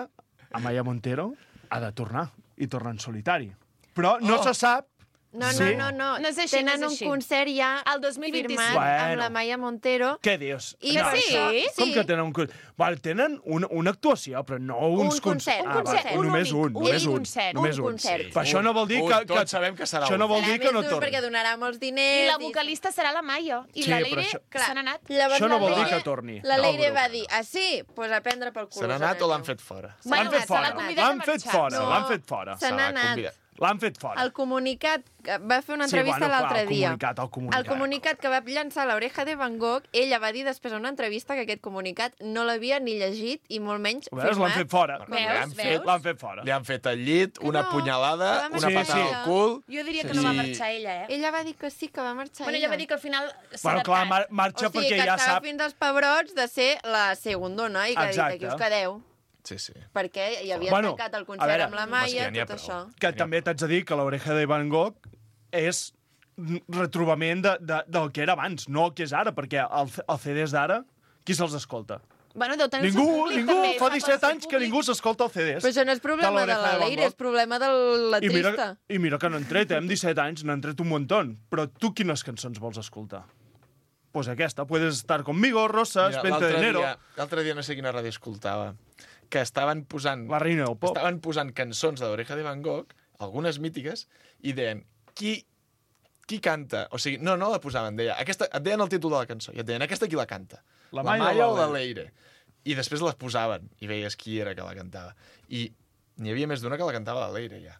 Amaya Montero ha de tornar, i torna en solitari. Però no se sap No, Sí. no. No és així, Tenen no és un així. concert ja El 2025. firmat Bueno. amb la Maya Montero. què dius. I No, per sí? això- Com que tenen un concert? Vale, tenen una actuació, però no uns concert, un concert, vale, un només únic, un, només un un. concert, Només un concert. Però això no vol dir que... Tots sabem que serà Això no vol Serà dir que més no dur torni. perquè donarà molts I diners. la vocalista serà la Maia. I Sí, la però Leire això- se n'ha anat. Llavors Això no la vol dir Leire- que torni La al Leire grup. va dir, sí? Doncs pues a prendre pel cul. Se n'ha anat o l'han fet fora? L'han fet se fora. l'ha convidat a L'han fet marxar. fora, No. l'han fet fora. Se n'ha anat. L'han fet fora. El comunicat, va fer una Sí, entrevista bueno, clar, l'altre el dia. comunicat. El comunicat que va llançar l'Oreja de Van Gogh, ella va dir després en una entrevista que aquest comunicat no l'havia ni llegit i molt menys Ho veus? L'han fet fora. Veus? L'han fet fora. Li han fet al llit, una no, punyalada, que va una marxar patada ella. al cul... Jo diria que Sí. no va marxar ella, Ella va dir que sí, que va marxar Bueno, ella va dir que al final s'ha Bueno, clar, adaptat. marxa o sigui, perquè que ja estava sap... fins als pebrots de ser la segundona i que ha dit, Exacte. aquí us quedeu. Sí, sí. Perquè hi havia Bueno, tancat el a concert veure, amb la home, Maia, sí, ja n'hi ha tot prou. això. Que també t'haig de dir que l'Oreja de Van Gogh és retrobament del que era abans, no el que és ara, perquè el CDs d'ara, qui se'ls escolta? Bueno, deu tenir el seu Ningú, públic, ningú, també. fa el 17 seu anys que públic. ningú s'escolta el CDs. Però això no és problema de l'Oreja la Van Leire, Gogh. és problema de la trista. I mira que n'han tret, amb 17 anys n'han tret un muntó. Però tu quines cançons vols escoltar? Pues aquesta, Puedes estar conmigo, Rosas, Mira, 20 de enero... L'altre dia no sé quina ràdio escoltava, que estaven posant... La reina del pop. Estaven posant cançons de l'Oreja de Van Gogh, algunes mítiques, i deien, qui canta? O sigui, no la posaven, et deien el títol de la cançó, i et deien, aquesta qui la canta? La La Maia Maia o o la la Leire? I després les posaven, i veies qui era que la cantava. I n'hi havia més d'una que la cantava la Leire, ja.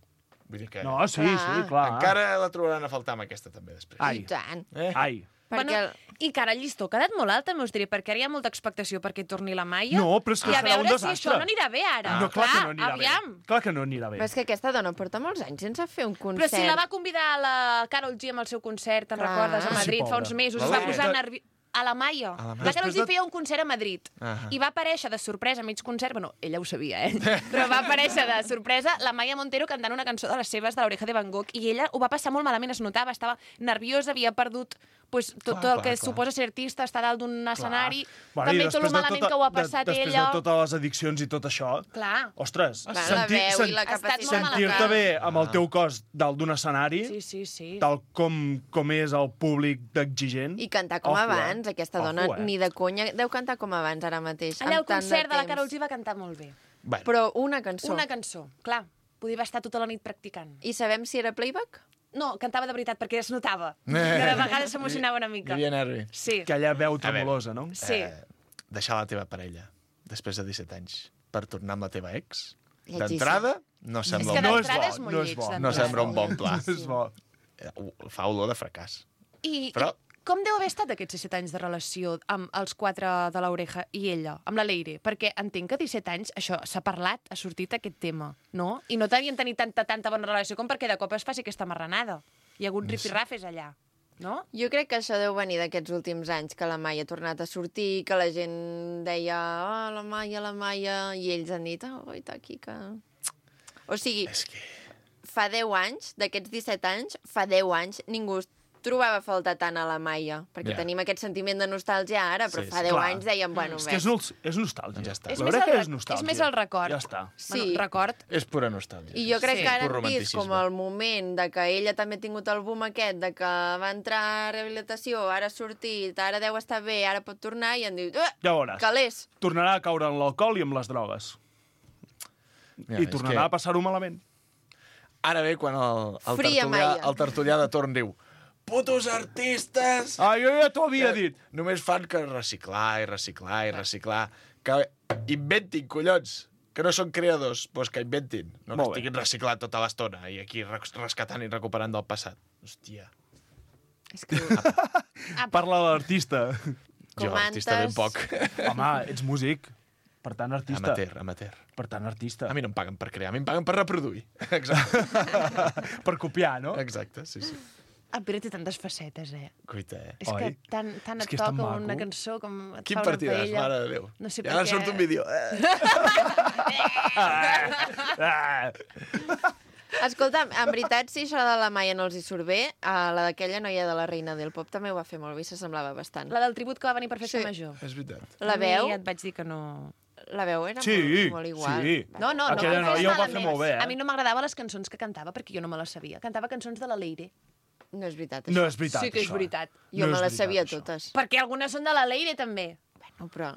Vull dir que... No, sí, clar. Encara la trobaran a faltar amb aquesta, també, després. Ai. I tant. Ai. Perquè Bueno, I que ara el llistó ha quedat molt alt, també us diré, perquè ara hi ha molta expectació perquè torni la Maia. No, però és que I a serà un veure si desastre. això no anirà bé ara. No, clar que no anirà aviam. bé. Clar que no anirà bé. Però és que aquesta dona porta molts anys sense fer un concert. Però si la va convidar a la Karol G amb el seu concert, te'n Clar. recordes, a Sí, Madrid, fa pobra. uns mesos, La es va Leire. posar nervi... A la Maia. A la Maia. La Karol G Després de- feia un concert a Madrid Ahà. i va aparèixer de sorpresa a mig concert, bueno, ella ho sabia, però va aparèixer de sorpresa la Maia Montero cantant una cançó de les seves de l'Oreja de Van Gogh i ella ho va passar molt malament, es notava, estava nerviosa, havia perdut pues, tot el que suposa ser artista, estar dalt d'un escenari, Bueno, també i tot el després de malament tota- que ho ha passat després ella. de totes les addiccions i tot això, Clar. ostres, Clar, la veu i la Ha estat capacitat. molt sentir-te malament. bé amb el teu cos dalt d'un escenari, Sí. tal com és el públic d'exigent... I cantar com Ojo, abans, aquesta dona ni de conya deu cantar com abans ara mateix. Allà al amb tant concert de la temps. Karol G va cantar molt bé. Bueno, Però una cançó. Una cançó, clar. Podia estar tota la nit practicant. I sabem si era playback? No, cantava de veritat, perquè es notava. Que de vegades s'emocionava una hi mica. havia nervi. Sí. Aquella veu tremolosa, no? Sí. Deixar la teva parella després de 17 anys per tornar amb la teva ex, Lletjíssim. d'entrada, no És sembla, que un bon, d'entrada és bo, molt no és lleig. bo. no d'entrada. sembla un bon pla. És bo. Fa olor de fracàs. I Però- com deu haver estat aquests 17 anys de relació amb els 4 de l'Oreja i ella, amb la Leire? Perquè entenc que a 17 anys això s'ha parlat, ha sortit aquest tema, no? I no devien tenir tanta bona relació com perquè de cop es faci aquesta marranada. Hi ha hagut rifirrafes allà, no? Jo crec que això deu venir d'aquests últims anys, que la Maia ha tornat a sortir, que la gent deia la Maia, i ells han dit, oita, aquí que... O sigui, És que... fa 10 anys, d'aquests 17 anys, fa 10 anys, ningú trobava a faltar tant a la Maia, perquè Ja. tenim aquest sentiment de nostàlgia ara, però Sí, fa sí. 10 Clar. anys dèiem, bueno, És que és nostàlgia. Ja està. És La més, veritat que el, és nostàlgia. és més el record. Ja està. Sí. Bueno, record. És pura nostàlgia. I jo crec Sí. que ara Pur hem vist com romanticisme. el moment de que ella també ha tingut el boom aquest, de que va entrar a rehabilitació, ara ha sortit, ara deu estar bé, ara pot tornar, i han dit, Ja veuràs. calés. Tornarà a caure en l'alcohol i amb les drogues. Ja, I és tornarà a passar-ho malament. Ara ve quan el Fria Maia. tertulià de torn diu putos artistes! Ah, jo ja t'ho havia dit. Només fan que reciclar i reciclar i reciclar. Que inventin, collons! que no són creadors, doncs que inventin. No que Molt bé. estiguin reciclant tota l'estona i aquí rescatant i recuperant del passat. Hòstia. És que Parla de l'artista. Jo, artista ben poc. Home, ets músic. Per tant, artista. Amateur. Per tant, artista. A mi no em paguen per crear, a mi em paguen per reproduir. Exacte. Per copiar, no? Exacte, sí. El Pere té tantes facetes, Cuita, És que tant et toca una cançó com et Quin fa una partidàs, paella. mare de Déu. No sé I ara per què. surt un vídeo. Escolta'm, en veritat, si això de la Maia no els hi surt bé, la d'aquella noia de la Reina del Pop també ho va fer molt bé, s'assemblava bastant. La del tribut que va venir per festa major. És veritat. La A mi veu? ja et vaig dir que no... La veu era Sí, molt igual. sí. No, Aquella noia ho va fer molt bé, A mi no m'agradaven les cançons que cantava perquè jo no me les sabia. Cantava cançons de la Leire. No és veritat, No això. és veritat, Sí que és això. veritat. Jo No me és les sabia veritat, això. totes. Perquè algunes són de la Leire, també. Bueno, però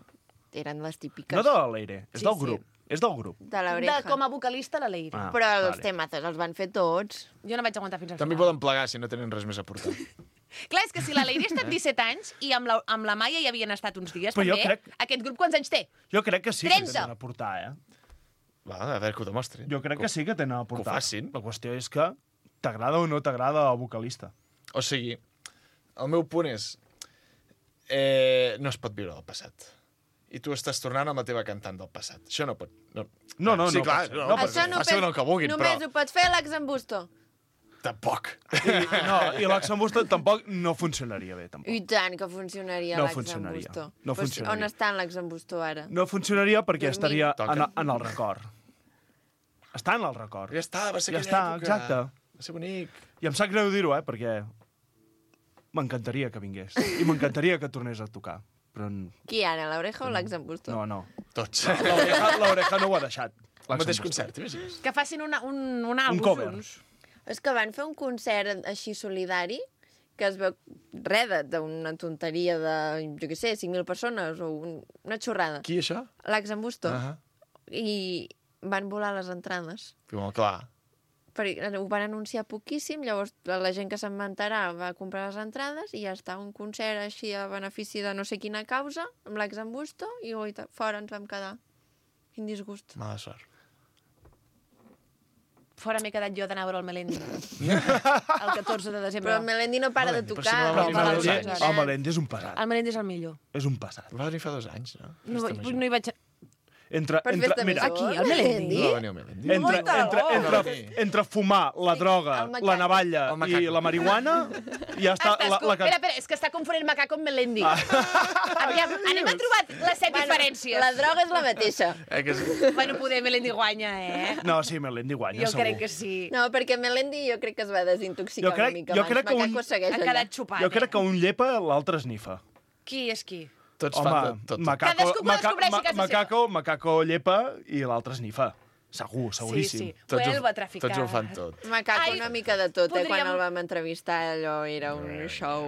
eren les típiques. No de la Leire, és Sí, del sí. grup. És del grup. De l'Oreja. Com a vocalista, la Leire. Ah, Però els vale. temazos els van fer tots. Jo no vaig aguantar fins al També final. poden plegar si no tenen res més a portar. Clar, és que si la Leire ha estat 17 anys i amb la Maia hi havien estat uns dies, Però jo també, crec- aquest grup quants anys té? Jo crec que sí que 30. tenen a portar, Va, a veure que ho demostrin. Jo crec que sí que tenen a Que ho portar. facin. La qüestió és que t'agrada o no t'agrada el vocalista. O sigui, el meu punt és... no es pot viure del passat. I tu estàs tornant amb la teva cantant del passat. Això no pot... No, sí, no clar, pot ser. no, No pot pot ser. Això Facin el que vulguin, només però... ho pot fer l'Axambusto. Tampoc. I l'Axambusto tampoc no funcionaria bé, tampoc. I tant que funcionaria No l'Axambusto. funcionaria. No Pues, funcionaria. on està l'Axambusto ara? No funcionaria perquè Dormint. estaria Toca. en el record. Està en el record. Ja està, va ser Ja aquella està, època. exacte. Va ser bonic. I em sap greu dir-ho, perquè m'encantaria que vingués. I m'encantaria que tornés a tocar. Però Qui ara, l'Oreja o l'Axambusto? no. Tots. L'Oreja no ho ha deixat. El mateix concert, imagines? Que facin un àlbum cover. junts. És que van fer un concert així solidari que es veu res d'una tonteria de, jo què sé, 5.000 persones o una xorrada. Qui, això? L'Axambusto. Ah, I van volar les entrades. molt clar. Perquè ho van anunciar poquíssim, llavors la gent que se'n va enterar va comprar les entrades i ja està un concert així a benefici de no sé quina causa, amb l'Axambusto, i goita, fora ens vam quedar. Quin disgust. Mala sort. Fora m'he quedat jo d'anar a veure el Melendi. El 14 de desembre. Però el Melendi no para de Melendi, però tocar. si no va Però venir el fa Melendi, 2 anys. el Melendi és un pesat. El Melendi és el millor. És un pesat. Va venir fa 2 anys, no? No hi vaig... Entre, Per festa mira, major, aquí, el Melendi. No va venir el Melendi. entre fumar la droga, El macaco. la navalla El macaco. i la marihuana, ja està... Espera, és que està confonent macaco amb Melendi. Aviam, anem a trobar les 7 diferències. La droga és la mateixa. Que és... Bueno, poder Melendi guanya, No, sí, Melendi guanya, Jo segur. crec que sí. No, perquè Melendi jo crec que es va desintoxicar una mica jo crec abans. que Macaco segueix Ha allà. quedat xupat. Jo crec que un llepa, l'altre esnifa. Qui és qui? Tots Home, fan de tot. Macaco, Cadascú que descobreixi casa macaco llepa i l'altre esnifa. Segur, seguríssim. Sí, sí. Huelva traficat. Tots ho fan tot. Macaco, Ai, una mica de tot, podríem- quan el vam entrevistar allò era un show.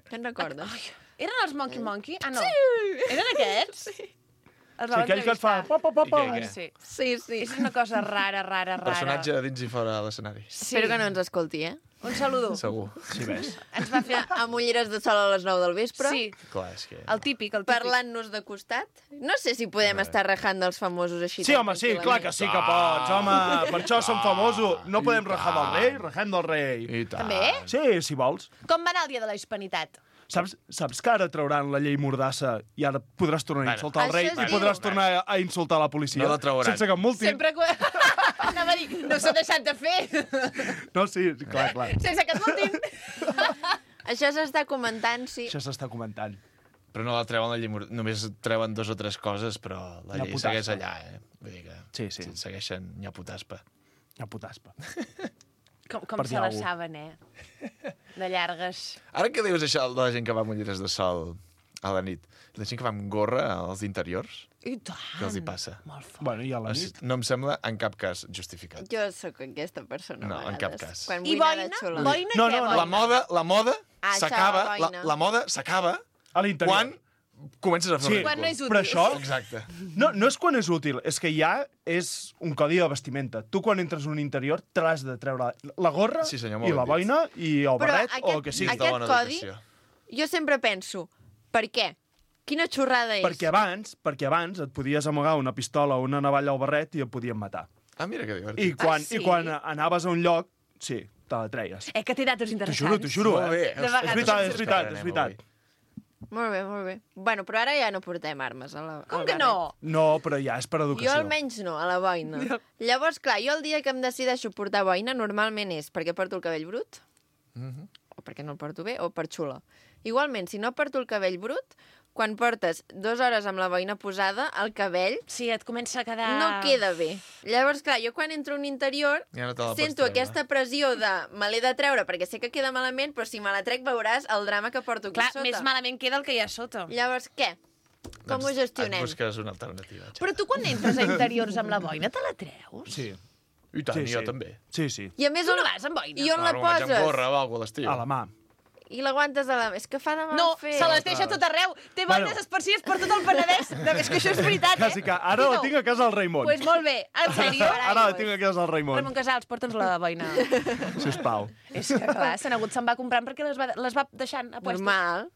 Te'n recordes? Eren els Monkey Monkey? Ah, no. Sí. Eren aquests? Sí. Els Sí, aquell que et fa... Pa, pa, pa, pa. I què? Sí. Sí, sí. És una cosa rara. Personatge a dins i fora de l'escenari. Sí. Espero que no ens escolti, eh? Un saludo. Segur. Sí, ves. Ens va fer... Amb ulleres de sol a les 9 del vespre. Sí, Clar, és que... el típic. Parlant-nos de costat. No sé si podem estar rajant dels famosos així. Sí, tan home, sí, tranquil·lament. clar que sí que pots, home. Per això som famosos. No podem rajar del rei, rajem del rei. I tant. També? Sí, si vols. Com va anar el dia de la hispanitat? Saps que ara trauran la llei Mordassa i ara podràs tornar a insultar el rei Això es i diu. podràs tornar a insultar la policia No la trauran. sense cap multi? Sempre que... Anava a dir, no s'ha deixat de fer. No, sí, clar, clar. Sense que et multin. Això s'està comentant, sí. Això s'està comentant. Però no la treuen la llei... Només treuen 2 o 3 coses, però la llei Nyaputaspa. segueix allà, eh? Vull dir que Sí. segueixen nyaputaspa. Una putaspa. Com Per se dir la alguna saben, de llargues. Ara que dius això de la gent que va amb ulleres de sol a la nit, la gent que va amb gorra als interiors, I tant. què els hi passa? Molt fort. Bueno, i a la nit? No em sembla en cap cas justificat. Jo sóc aquesta persona. No, a en cap vegades. cas. Quan I vull anar boina? de xula. Boina No, què, no, boina? La moda Ah, això, s'acaba, boina. la moda s'acaba A l'interior. quan comences a fer Sí, el Quan no és ridícul. útil. però això Exacte. no és quan és útil, és que ja és un codi de vestimenta. Tu quan entres en un interior t'has de treure la gorra Sí, senyor, molt i la ben dit. boina i el Però barret o el que sigui. de bona Aquest codi, educació. jo sempre penso, per què? Quina xorrada és. Perquè abans et podies amagar una pistola o una navalla al barret i et podien matar. Ah, mira que divertit. I quan anaves a un lloc, sí, te la treies. Que té datos interessants. T'ho juro, Molt bé. És veritat. Molt bé. Bueno, però ara ja no portem armes a la... Com que no? No, però ja és per educació. Jo almenys no, a la boina. Llavors, clar, jo el dia que em decideixo portar boina normalment és perquè porto el cabell brut, o perquè no el porto bé, o per xula. Igualment, si no porto el cabell brut, quan portes 2 hores amb la boina posada, el cabell... Sí, et comença a quedar... No queda bé. Llavors, clar, jo quan entro a un interior Ja no te la pots sento treure. aquesta pressió de me l'he de treure perquè sé que queda malament, però si me la trec veuràs el drama que porto aquí Clar, sota. més malament queda el que hi ha sota. Llavors, què? Com ho gestionem? Et busques una alternativa. Però tu quan entres a interiors amb la boina te la treus? Sí. I tant, jo també. Sí. I a més, Tu no vas amb boina? I on la Claro, vaig amb poses? gorra o alguna a l'estiu. A la mà. I l'aguantes a la... És que fa de mal No, fer. se les deixa tot arreu. Té boines esparcides per tot el Penedès. És que això és veritat, Quasi que ara la tinc a casa del Raimon. Pues molt bé. En sèrio? Ara la tinc a casa del Raimon. Ramon Casals, porta'ns la boina. Sisplau. És que, clar, se'n va comprant perquè les va deixant a puestos. Normal.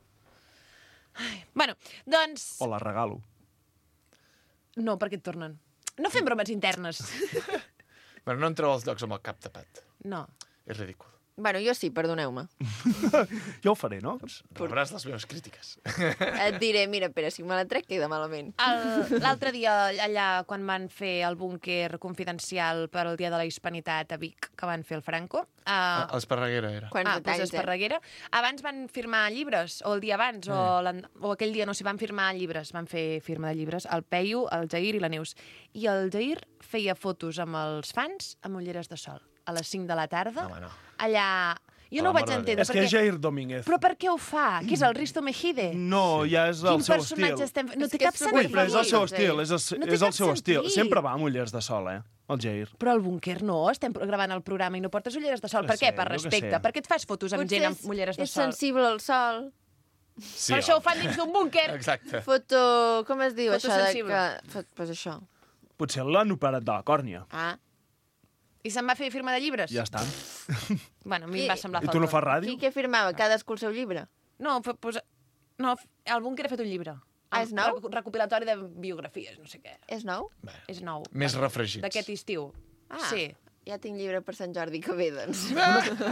Bueno, doncs... O la regalo. No, perquè et tornen. No fem bromes internes. Bueno, no entreu als llocs amb el cap tapat. No. És ridícul. Bueno, jo sí, perdoneu-me. Jo ho faré, no? Rebràs les meves crítiques. Et diré, mira, Pere, si me la trec queda malament. L'altre dia, allà, quan van fer el búnquer confidencial per al Dia de la Hispanitat a Vic, que van fer el Franco... A Esparreguera era. Doncs Esparreguera. Abans van firmar llibres, o el dia abans, o aquell dia, no sé, van firmar llibres, van fer firma de llibres, el Peyu, el Jair i la Neus. I el Jair feia fotos amb els fans amb ulleres de sol, a les 5 de la tarda. Home, no. Allà... Jo no ho vaig entendre. És que és Jair Domínguez. Però per què ho fa? Què és el Risto Mejide? No, ja és el Quin seu personatge estil. estem... No té que cap és sentit. Ui, però és el seu estil, No té és el cap seu estil. sentit. Sempre va amb ullers de sol, el Jair. Però al búnquer no, estem gravant el programa i no portes ulleres de sol. No Per què? sé, Per jo què respecte. sé. Per què et fas fotos amb gent amb ulleres de és sol? sensible al sol. Sí, Per això ho fan dins d'un búnquer. Exacte. Foto... Com es diu això? Fotosensible. Pues això. Potser l'han operat de la còrnia. Ah. I se'n va fer firma de llibres? Ja està. Bueno, a mi em va semblar I falta. tu no fas ràdio? Qui què firmava? Cadascú el seu llibre? No, no, el búnquer ha fet un llibre. Ah, és nou? Recopilatori de biografies, no sé què. És nou? És nou. Més refregits. D'aquest estiu. Ah, Sí. ja tinc llibre per Sant Jordi que ve, doncs.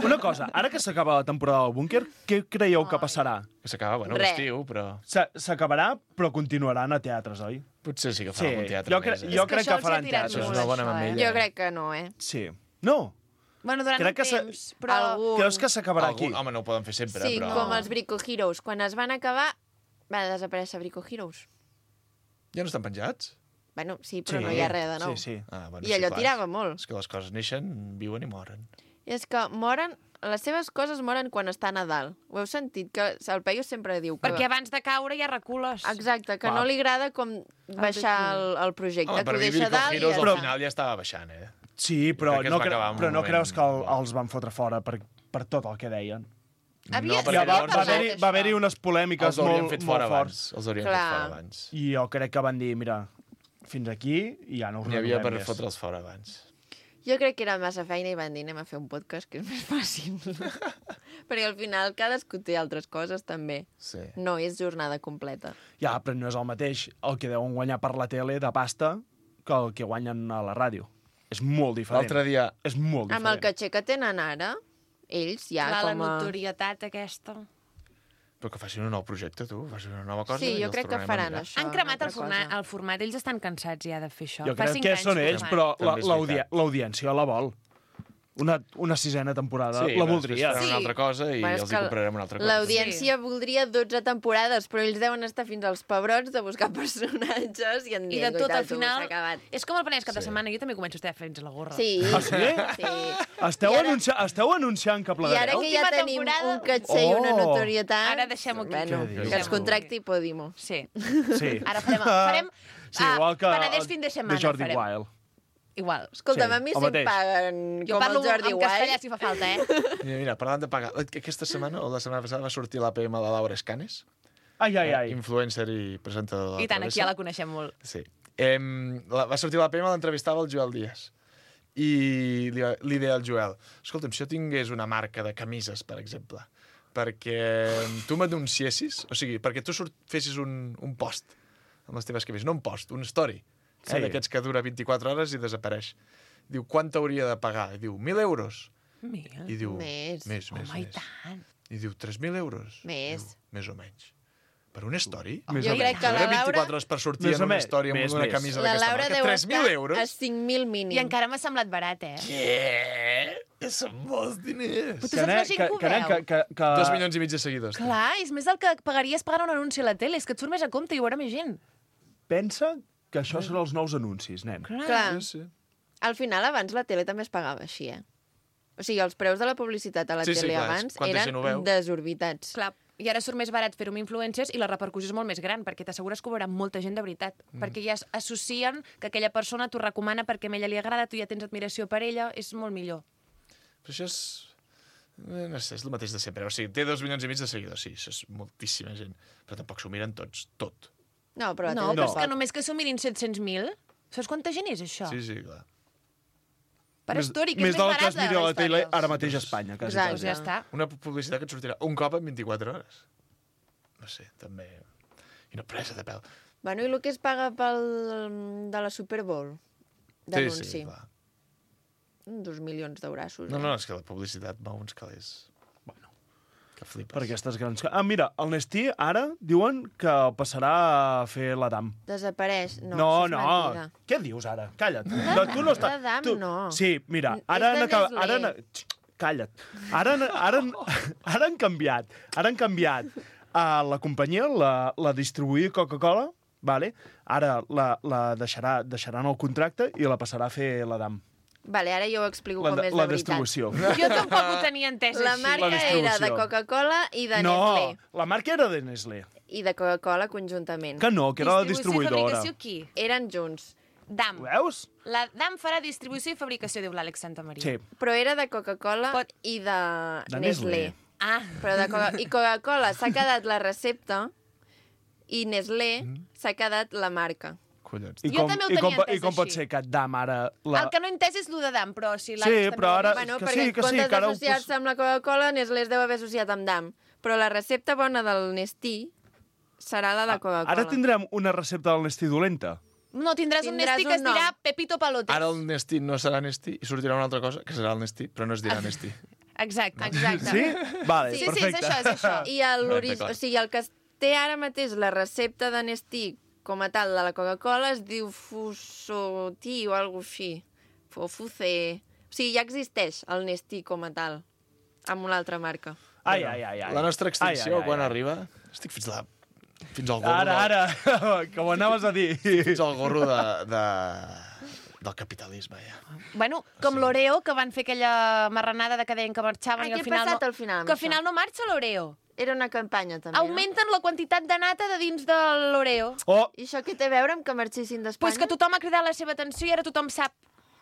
Una cosa, ara que s'acaba la temporada del búnquer, què creieu que passarà? Que s'acaba, bueno, Res. l'estiu, però... S'acabarà, però continuaran a teatres, oi? Potser sí que farà algun teatre jo, més. jo que crec això que els hi ha faran tirat teatre. Això és molt, una bona això, mamella. Jo crec que no, Sí. No? Bueno, durant Crec un que temps, però... Algun... Creus que s'acabarà aquí? Home, no ho poden fer sempre, Sí, però... com els Brico Heroes. Quan es van acabar, va desaparèixer Brico Heroes. Ja no estan penjats? Bueno, sí, però no hi ha res de nou. Sí. Ah, bueno, I allò clar. tirava molt. És que les coses neixen, viuen i moren. I és que moren... Les seves coses moren quan està a Nadal. Ho heu sentit? Que el Peyu sempre diu que... Perquè abans de caure ja recules. Exacte, que no li agrada com baixar el projecte. Home, que per ho mi deixa Brico dalt i Heroes ja al està. final ja estava baixant, Sí, però crec que es no, va acabar en un però no moment- creus que els van fotre fora per tot el que deien? Havia- perquè Ja va llavors parlat haver-hi unes polèmiques els haurien molt, fet fora molt forts. abans. Els haurien Clar. fet fora abans. I jo crec que van dir, mira, fins aquí i ja no us N'hi havia per renovem més. fotre'ls fora abans. Jo crec que era massa feina i van dir anem a fer un podcast que és més fàcil. Perquè al final cadascú té altres coses també. Sí. No és jornada completa. Ja, però no és el mateix el que deuen guanyar per la tele de pasta que el que guanyen a la ràdio. És molt diferent. L'altre dia... És molt diferent. Amb el caché que tenen ara, ells ja Clar, la com a... notorietat aquesta. Però que facin un nou projecte, tu. Facin una nova cosa. Sí, i jo els crec que tornarem a faran mirar. això. Han cremat una el altra cosa. format. Ells estan cansats ja de fer això. Jo Fa crec 5 que anys són que ho ells, fan. però També és veritat. l'audiència la vol. Una sisena temporada Sí, la però voldria. després faran una altra cosa i Bueno, és els hi que comprarem una altra cosa. L'audiència voldria 12 temporades, però ells deuen estar fins als pebrots de buscar personatges i en I de tot, al final, s'ha acabat. és com el Penedès cada Sí. setmana. Jo també començo a estar fins a la gorra. Sí. Ah, sí? Sí. Esteu, I ara- esteu anunciant que I ara plegareu? que ja Última tenim temporada. un caché i una Oh. notorietat... Ara deixem-ho aquí. Bueno, Què dius? que ens contracti Podimo. Sí. Sí. Ara farem Sí, igual que Penedès fin de setmana. de Jordi farem. Wild. Igual. Escolta'm, Sí, a mi el si em mateix. paguen Jo com parlo el Jordi en castellà Wild... si fa falta, eh? Mira, parlant de pagar... Aquesta setmana, o la setmana passada, va sortir l'APM de Laura Escanes. Ai, ai, ai. Influencer i presentador de la I tant, aquí ja Travessa. la coneixem molt. Sí. Va sortir l'APM, l'entrevistava el Joel Díaz. I li deia al Joel, escolta'm, si jo tingués una marca de camises, per exemple, perquè tu m'anunciessis, o sigui, perquè tu fessis un post amb les teves canvis, no un post, un story, d'aquests que dura 24 hores i desapareix. Diu, quant t'hauria de pagar? I diu, 1.000 euros. I diu, més. Home, i tant. I diu, 3.000 euros. Més. Diu, més o menys. Per una story? Jo crec que la Laura... 24 hores per sortir en una història amb una camisa d'aquesta marca. La Laura deu estar 3.000 euros? a 5.000 mínim. I encara m'ha semblat barat, Què? Són molts diners. Però tu saps la gent que ho veu? 2,5 milions de seguidors. Clar, és més del que pagaries pagant un anunci a la tele. És que et surt més a compte i ho veurà més gent. Pensa que això són els nous anuncis, nen. Clar. Al final, abans la tele també es pagava així, O sigui, els preus de la publicitat a la tele abans eren desorbitats. Clar, i ara surt més barat fer-ho amb influencers i la repercussió és molt més gran, perquè t'assegures que ho veurà molta gent de veritat. Perquè ja associen que aquella persona t'ho recomana perquè a ella li agrada, tu ja tens admiració per ella, és molt millor. Però això és... No sé, és el mateix de sempre. O sigui, té 2,5 milions de seguidors, sí, això és moltíssima gent. Però tampoc s'ho miren tots, tot. No, però és que només que s'ho mirin 700.000, saps quanta gent és això? Sí, clar. Per story, que és més barat que es miri a la tele ara mateix a Espanya. Exacte. Ja està. Una publicitat que et sortirà un cop en 24 hores. No sé, també... I una presa de pèl. Bueno, i el que es paga de la Super Bowl? D'anunci. Sí, clar. 2 milions d'eurassos. No, és que la publicitat va uns calés. Bueno, que flipes. Per aquestes grans... mira, el Nestí ara diuen que el passarà a fer l'Adam. Desapareix. No, què dius ara? Calla't. Tu no estàs... L'Adam no. Sí, mira, ara han acabat... Calla't. Ara han canviat. Ara han canviat. La companyia, la distribuïa Coca-Cola, vale? Ara la deixaran el contracte i la passarà a fer l'Adam. Vale, ara jo ho explico com és la veritat. distribució. Jo tampoc ho tenia entès La així. marca era de Coca-Cola i de Nestlé. No, la marca era de Nestlé. I de Coca-Cola conjuntament. Que no, que era la distribuïdora. Distribució i fabricació qui? Eren junts. DAM. Ho veus? La DAM farà distribució i fabricació, diu l'Àlex Santamaria. Sí. Però era de Coca-Cola i de Nestlé. Ah. Però i Coca-Cola s'ha quedat la recepta i Nestlé s'ha quedat la marca. Collons. Jo també ho tenia entès I com pot així. ser que DAM ara... El que no he entès és el de DAM, però si l'Àlex Sí, també però ara... Bueno, que perquè sí, en comptes que ara ho d'associar-se amb la Coca-Cola, Nestlé es deu haver associat amb DAM. Però la recepta bona del Nestí serà la de Coca-Cola. Ara tindrem una recepta del Nestí dolenta. No, tindràs un Nestí que es dirà Pepito Palotes. Ara el Nestí no serà Nestí i sortirà una altra cosa que serà el Nestí, però no es dirà Nestí. Exacte. Sí? Vale, Sí, perfecte. és això. I Clar. o sigui, el que té ara mateix la recepta de Nestí com a tal de la Coca-Cola es diu Fusoti o alguna cosa així. O Fuce... O sigui, ja existeix el Nestí com a tal, amb una altra marca. Ai. La nostra extinció, quan arriba? Estic fins al gorro... Ara, que ho anaves a dir. Fins al gorro del capitalisme, ja. Bueno, com l'Oreo, que van fer aquella marranada de que deien que marxaven i al final... Què ha passat al final? Que al final no marxa l'Oreo. Era una campanya, també, Augmenten la quantitat de nata de dins de l'Oreo. Oh. I això què té a veure amb que marxessin d'Espanya? Pues que tothom ha cridat la seva atenció i ara tothom sap.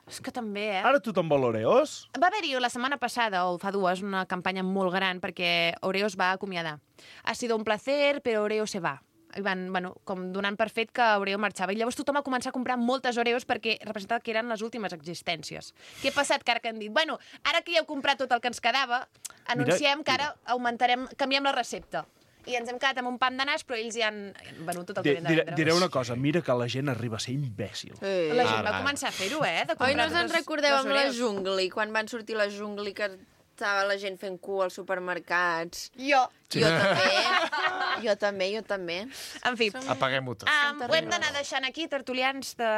És que també, Ara tothom vol Oreos? Va haver-hi la setmana passada, o fa dues, una campanya molt gran perquè Oreo es va acomiadar. Ha sido un placer, però Oreo se va. I van, com donant per fet que Oreo marxava. I llavors tothom va començar a comprar moltes Oreos perquè representava que eren les últimes existències. Què ha passat? Que ara que han dit, ara que ja heu comprat tot el que ens quedava, anunciem que ara canviem la recepta. I ens hem quedat amb un pam de nas, però ells ja han venut tot el que havien de vendre. Diré una cosa, mira que la gent arriba a ser imbècil. La gent va començar a fer-ho, de comprar... Oi, no us en recordeu amb la Jungli, quan van sortir la Jungli, que estava la gent fent cua als supermercats? Jo. Sí. Jo també. En fi. Apaguem-ho tot. Ho hem d'anar deixant aquí, tertulians de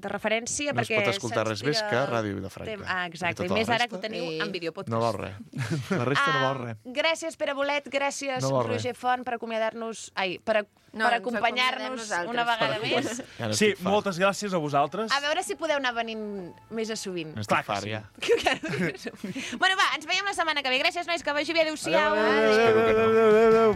referència. No es pot escoltar res més que Ràdio Vilafranca. Exacte, i més ara que ho teniu en videopodcast. No val res. La resta no val res. Gràcies, Pere Bolet, gràcies, Roger Font, per acomiadar-nos... per acompanyar-nos una vegada més. Sí, moltes gràcies a vosaltres. A veure si podeu anar venint més a sovint. Estic fart, ja. Bueno, va, ens veiem la setmana que ve. Gràcies, nois, que vagi bé. Adéu-siau. Espero que no. Adéu.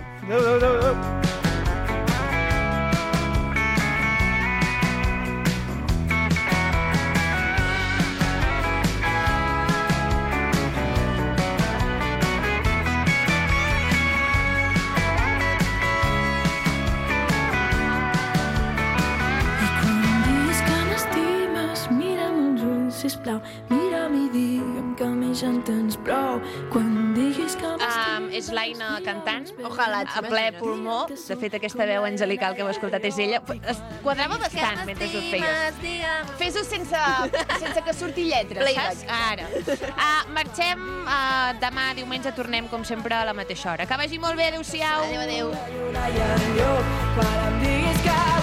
Sisplau, sisplau, mira'm i digue'm que m'hi entens prou. Quan diguis que És l'Aina cantant, Ojalà, a ple pulmó. De fet, aquesta veu angelical que heu escoltat és ella. Es quadrava bastant mentre ho feies. Fes-ho sense que surti lletra, saps? Ara. Marxem. Demà, diumenge, tornem, com sempre, a la mateixa hora. Que vagi molt bé. Adéu-siau. Adéu, adéu. quan em diguis que